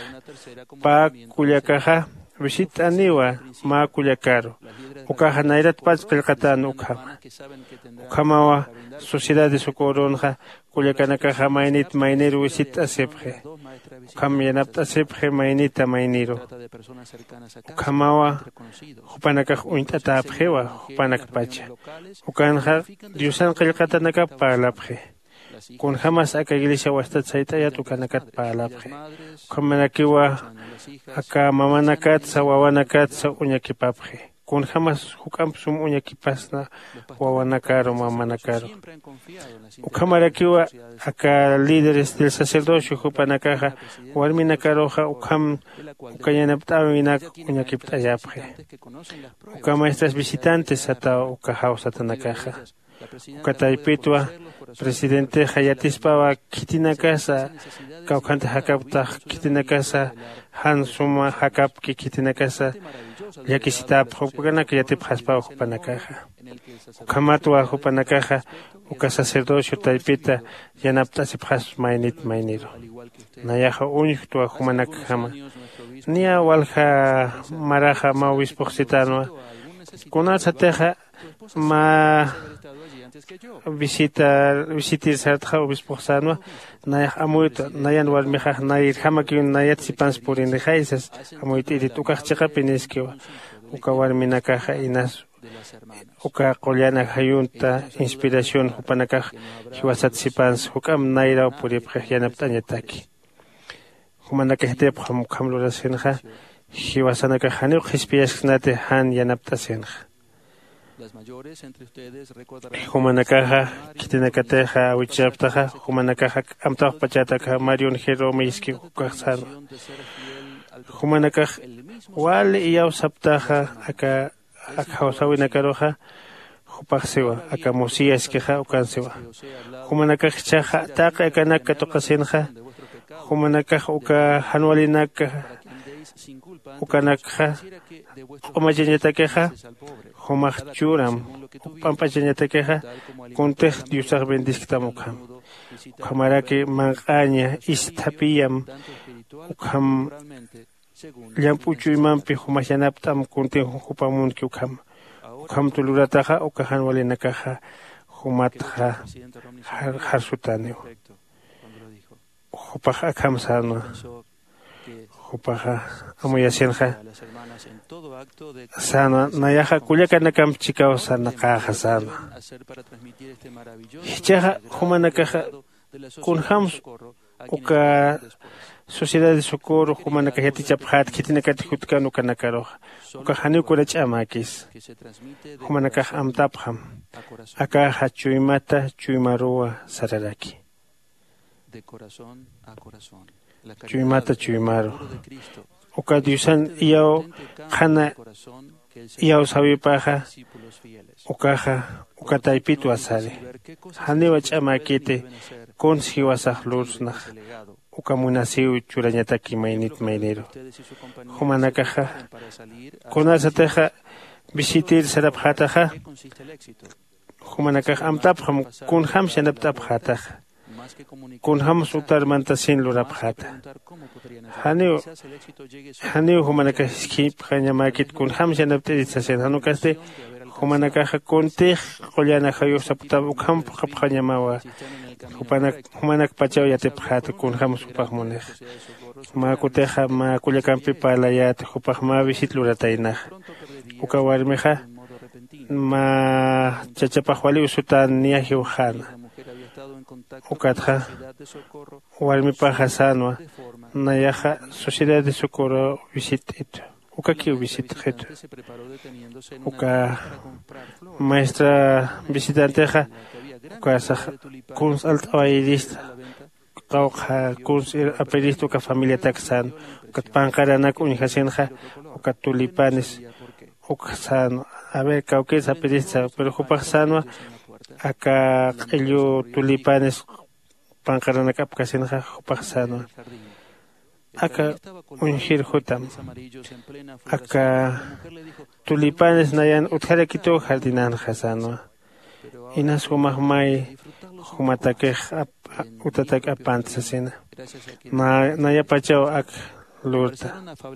Pä kullakaxa visitt'aniwa mä kullakaru. Ukaxa nayratpach qillqatän ukhama. Ukhamawa sociedad de socorronxa kullakanakaxa maynit mayniru visitt'asipxi. Ukham yanapt'asipxi maynita mayniru. Ukhamawa jupanakax uñt'atäpxiwa jupanakpacha. Ukanxa diosan qillqatanakap parlapxi. Kunjämas aka iglesia wastat sayt'ayat ukanakat parlapxi. Ukhamarakiwa aka mamanakatsa wawanakatsa uñakipapxi. Kunjämas juk'amp sum uñakipasna wawanakaru mamanakaru. Ukhamarakiwa aka líderes del sacerdocio jupanakaxa warminakaruxa ukham uka yanapt'äwinak uñakipt'ayapxi. Uka maestras visitantes sataw uka jawsatanakaxa. Uka taypitwa presidentexa yatispawa khitinakasa kawkhant jakaptax khitinakasa jan suma jakapki khitinakasa llakisitäpxa ukanak yatipxaspaw jupanakaxa. Ukhamatwa jupanakaxa uka sacerdocio taypita yanapt'asipxaspa maynit mayniru. Nayaxa uñjtwa jumanakjama. Niya walja maraxa mä obispox sitänwa. Kunasatixa mä visita visitir sartxa obispox sänwa. Nayax amuytwa nayan warmixax nayirjamakiw nayat sipans purinixay sas. Amuyt'irit ukax chiqapiniskiwa. Uka warminakaxa inas uka qullan ajayunta inspiración jupanakax jiwasat sipans juk'amp nayraw puripxix yanapt'añataki. Jumanakax yatipxam ukham lurasinxa jiwasanakax janiw qhispiyasksnati jan yanapt'asinxa. Jumanakaxa khitinakatixa awichaptaxa jumanakaxa amtawxpachatakxa marion jerome iski ukax sänwa. Jumanakax wali iyawsaptaxa aka ak jawsäwinakaruxa jupax siwa aka mosíaskixa ukan siwa. Jumanakax jichhaxa taqi akanak katuqasinxa jumanakax uka jan walinak ukanakxa q'umachañatakixa jumax churam uk p'amp'achañatakixa kuntix diosax bendisktam ukham. Ukhamaraki manq'aña isthapiyam ukham llamp'u chuymampi jumax yanapt'am kuntin jupamunki ukham. Ukhamtu lurataxa uka jan walinakaxa jumatxa jar- jarsutäniw. Jupax akham sänwa. Jupaxa amuyasinxa sänwa nayaxa kullakanakamp chikaw sarnaqäxa sänwa. Jichhaxa jumanakaxa kunjämsa uka sociedad de socorro jumanakax yatichapxät khitinakat jutkan ukanakaruxa ukax janiw kuna ch'amäkis. Jumanakax amtapxam akaxa chuymata chuymaruwa sararaki. Chuymata chuymaru uka diosan iyaw qhana iyawsäwipaxa ukaxa uka taypitwa sari. Janiwa ch'amäkiti kuns jiwasax lursnax uka munasiw churañataki maynit mayniru. Jumanakaxa kunasatixa visitir sarapxätaxa jumanakax amtapxam kunjämsa yanapt'apxätaxa kunjämsa utar mantasin lurapxäta. Janiw janiw jumanakax jiskipxañamäkit kunjämsa yanapt'irit sasin jan ukasti jumanakaxa kuntix qullan ajayux sapktam ukham phuqhapxañamawa. Jupanak jumanakpachaw yatipxäta kunjämsa jupax munixa. Mä kutixa mä kullakampi parlayäta jupax mä visit lurataynaxa. Uka warmixa mä chachapax waliw sutän niya jiwxäna. Ukatxa warmipaxa sänwa nayaxa sociedad de socorro visitt'itu ukakiw visitxitu. Uka maestra visitantexa ukasax kuns alt'awayirista qawqha kuns apirista uka familiatak sänwa. Ukat panqaranak uñjasinxa uka tulipanes ukxa sänwa. A ver kawkïrs apirista pero jupax sänwa aka q'illu tulipanes panqaranak apkasinxa jupax sänwa. aka uñjir jutam, aka tulipanes nayan utjarakituw jardinanxa sänwa. Inas jumax may jumatakix ap- utatak apant sasina. Na- nayapachaw ak lurta,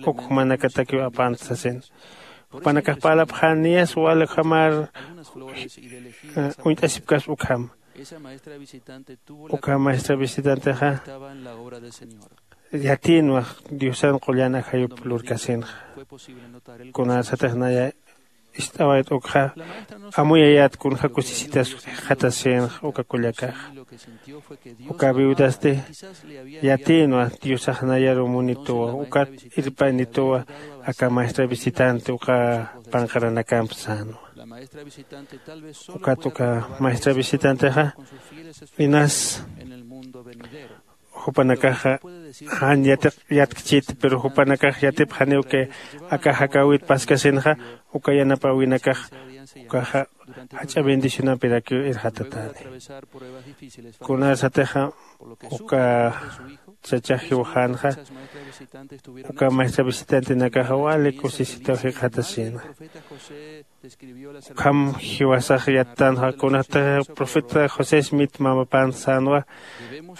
uk jumanakatakiw apant sasina. Jupanakax parlapxän niyas wal ukhamar uñt'asipkaspa ukham. Uka maestra visitantexa yatïnwa diosan qullan ajayup lurkasinxa. Kunasatix naya ist'awayt ukxa amuyayät kunja kusisitas jikxatasinxa uka kullakaxa. Uka viudasti yatïnwa diosax nayaru munituwa ukat irpaynituwa aka maestra visitante uka panqaranakamp sänwa. Ukat uka maestra visitantexa inas jupanakaxa jan yatiq yatkchit, pero jupanakax yatipxaniw que aka jakäwit paskasinxa uka yanapäwinakax ukaxa jach'a bendicionampirakiw irxatatäni. Kunasatixa uka chacha jiwxänxa uka maestra visitantenakaxa wali kusisitaw jikxatasina. Ukham jiwasax yattanxa kunatix profeta josé smith mamapant sänwa.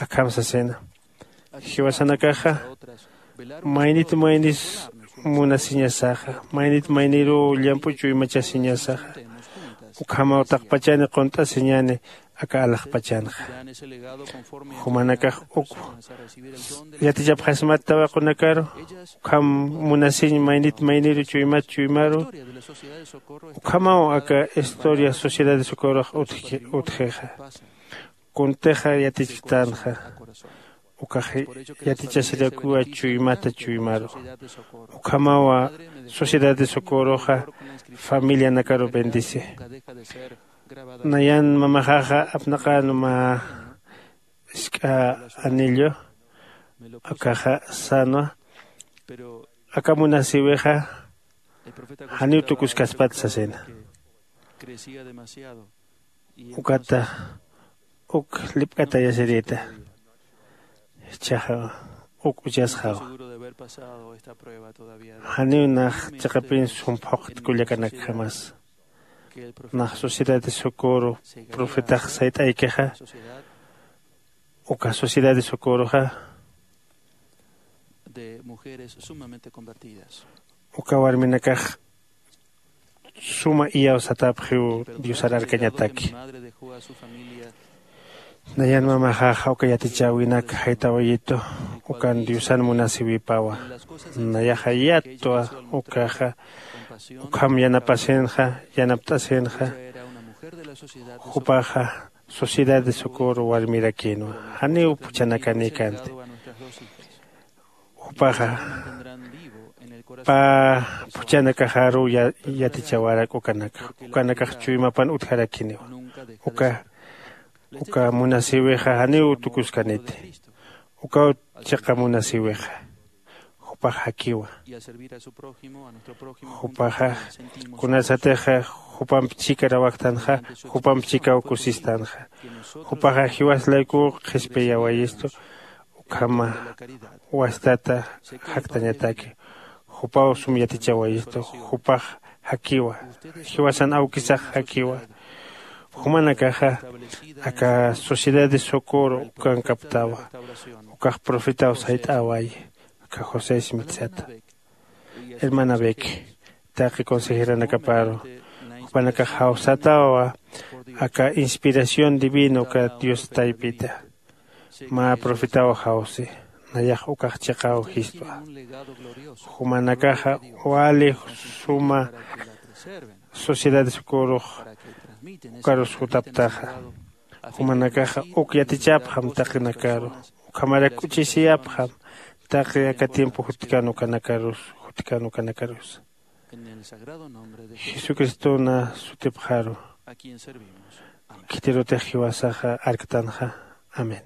Akham sasina jiwasanakaxa maynit maynis munasiñasaxa maynit mayniruw llamp'u chuymachasiñasaxa. Ukhamaw taqpachani qunt'asiñani aka alaxpachanxa. Jumanakax uk yatichapxasmat tawaqunakaru ukham munasiñ maynit mayniru chuymat chuymaru ukhamaw aka historia sociedad de socorrox utjixa. Kuntixa yatichktänxa ukax yatichasirakiwa chuymata chuymaru. Ukhamawa sociedad de socorroxa familianakaru bendice. Nayan mamaxaxa apnaqän mä isk'a anillo akaxa sänwa aka munasïwixa janiw tukuskaspat sasina. Ukata uk lipk'atayasirïta. Jichhaxa uk uchasxawa. Janiw nax chiqapin sum phuqht kullakanakjamas nax sociedad de socorro profetax sayt'aykixa uka sociedad de socorroxa uka warminakax suma iyawsatapxiw diosar arkañataki. Nayan mamaxaxa uka yatichäwinak jaytawayitu ukan diosan munasiwipawa. Nayaxa yattwa ukaxa ukham yanapasinxa yanapt'asinxa. Jupaxa sociedad de socorro warmirakïnwa janiw phuchhanakanïkanti. Jupaxa pä phuchhanakaxaruw yatichawarak ukanakax ukanakax chuymapan utjarakiniwa. Uka uka munasïwixa janiw tukuskaniti. Ukaw chiqa munasïwixa jupax jakiwa. Jupaxa kunasatixa jupamp chhika rawaktanxa jupamp chhikaw kusistanxa. Jupaxa jiwas laykuw qhispiyawayistu ukhama wastata jaktañataki. Jupaw sum yatichawayistu jupax jakiwa. Jiwasan awkisax jakiwa. Jumanakaxa aka sociedad de socorro ukankaptawa. Ukax profetaw sayt'äwayi aka josé smith sata. Hermana beck taqi consejeranakaparu jupanakax jawsatawa aka inspiración divina uka dios taypita. Mä profetaw jawsi nayax ukax chiqaw jistwa. Jumanakaxa wali suma sociedad de socorrox ukarus jutaptaxa. Jumanakaxa uk yatichapxam taqinakaru ukhamarak k'uchisiyapxam taqi aka tiempo jutkan ukanakarus jutkan ukanakarusa. Jesucristona sutipxaru khitirutix jiwasaxa arktanxa. Amén.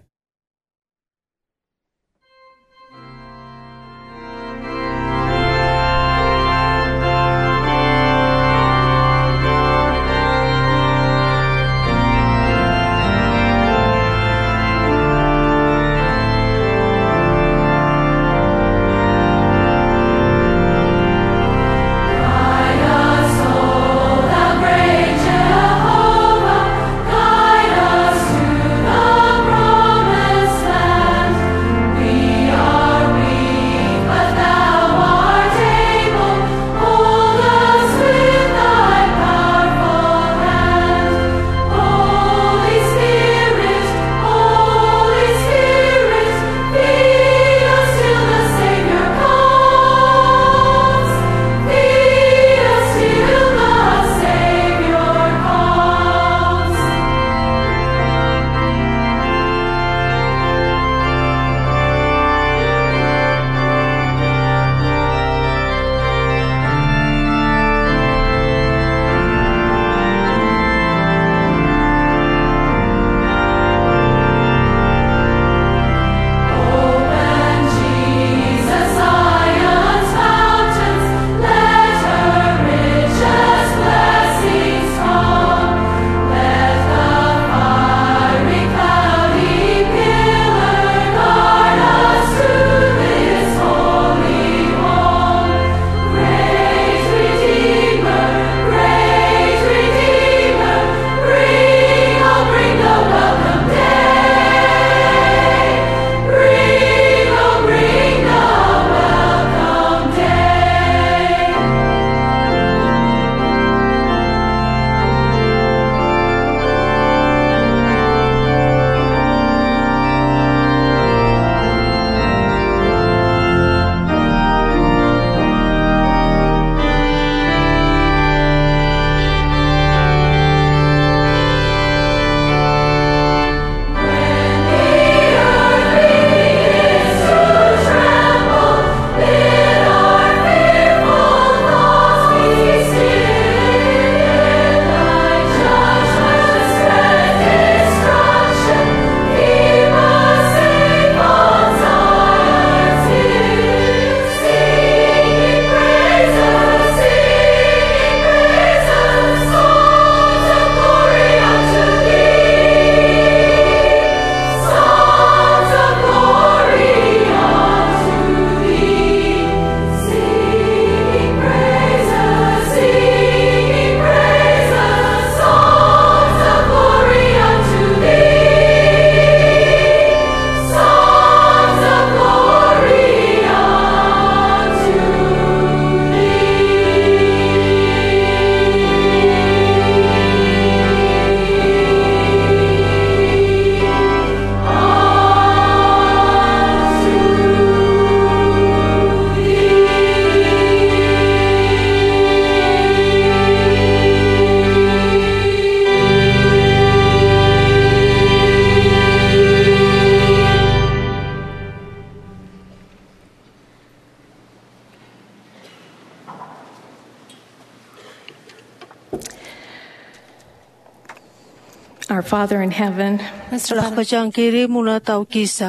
Our Father in heaven, nuestro Padre, laxpachankiri munatawkisa,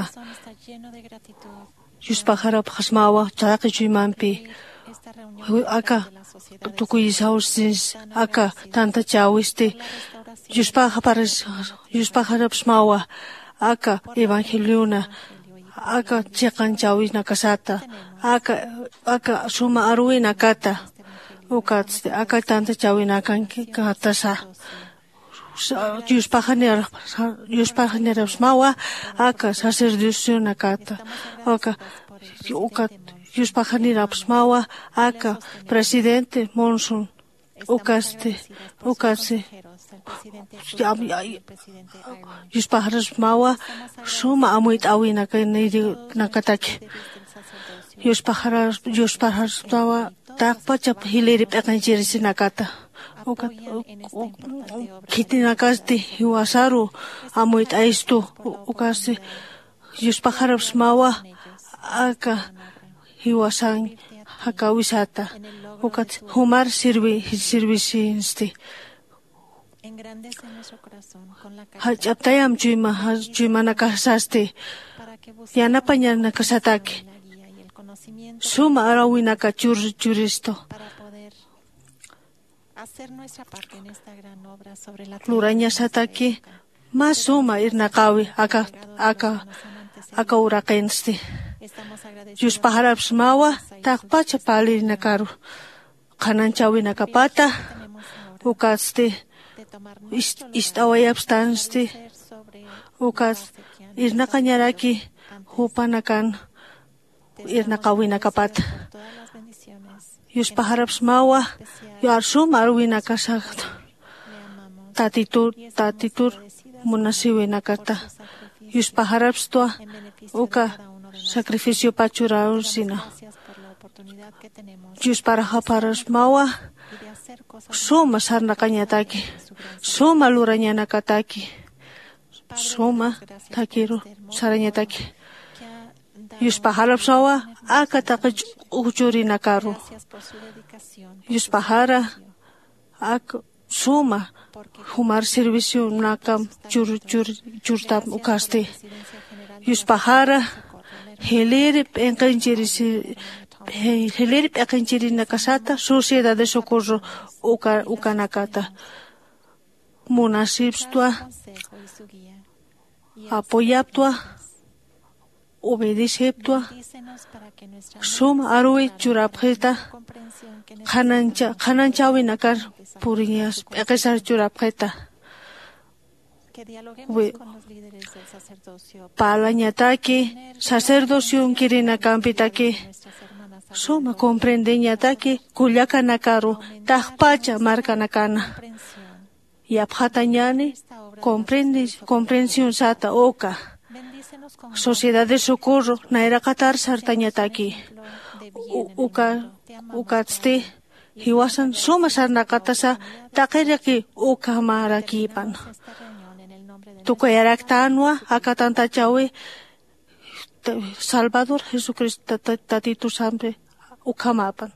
yuspaxarapxasmawa chaqi chuymampi, aka tukuyisaw sins, aka tantachäwisti, yuspaxaparas yuspaxarapsmawa aka evangeliona, aka chiqanchäwinakasata, aka aka suma aruwinakata, ukatsti aka tantachäwinakankatasa. Yuspaxanirapsmawa aka sacerdocionakata, aka ukat yuspaxanirapsmawa aka presidente Monson, ukasti ukasti yuspaxarapsmawa suma amuyt'äwinakataki. Yuspaxarapsmawa taqpachap jiliri p'iqinchirisinakata, ukat khitinakasti jiwasaru amuyt'ayistu. Ukasti yuspaxarapsmawa aka jiwasan jakäwisata, ukat jumar sirvisinsti. Jach'aptayam chuymanakasasti, yanapañanakasataki suma arawinaka churistu. Lurañasataki mä suma irnaqäwi aka aka aka uraqinsti. Yuspaxarapsmawa taqpacha parlinakaru, qhanañchäwinakapata, ukatsti ist'awayapstansti, ukat irnaqañaraki jupanakan irnaqäwinakapata. Yuspaxarapsmawa yar suma aruwinakasat, tatitur tatitur munasiwinakata. Yuspaxarapstwa uka sacrificiopa churarunsina. Yuspaxarapsmawa suma sarnaqañataki, suma lurañanakataki, suma takiru sarañataki. Yuspaxarapsawa aka taqi ch'uchurinakaru. Yuspaxara aka suma jumar servicionakam churtam ukasti. Yuspaxara jiliri p'inqinchirisi jiliri p'iqinchirinakasata sociedad de socorro ukanakata munasipstwa, apoyaptwa, obedeciptwa, sum aruwi churapxita, qhananchäwinakar puriñas p'iqisar churapxita. Parlañataki sacerdocionkirinakampitaki, suma comprendeñataki kullakanakaru taqpacha markanakana. Yapxatañani comprensión sata uka sociedad de socorro nayraqatar sartañataki. Uka ukatsti jiwasan suma sarnaqatasa taqiraki ukhamarakïpan. Tukuyaraktanwa aka tantachäwi salvador jesucristo tatitusampi. Ukhamapan.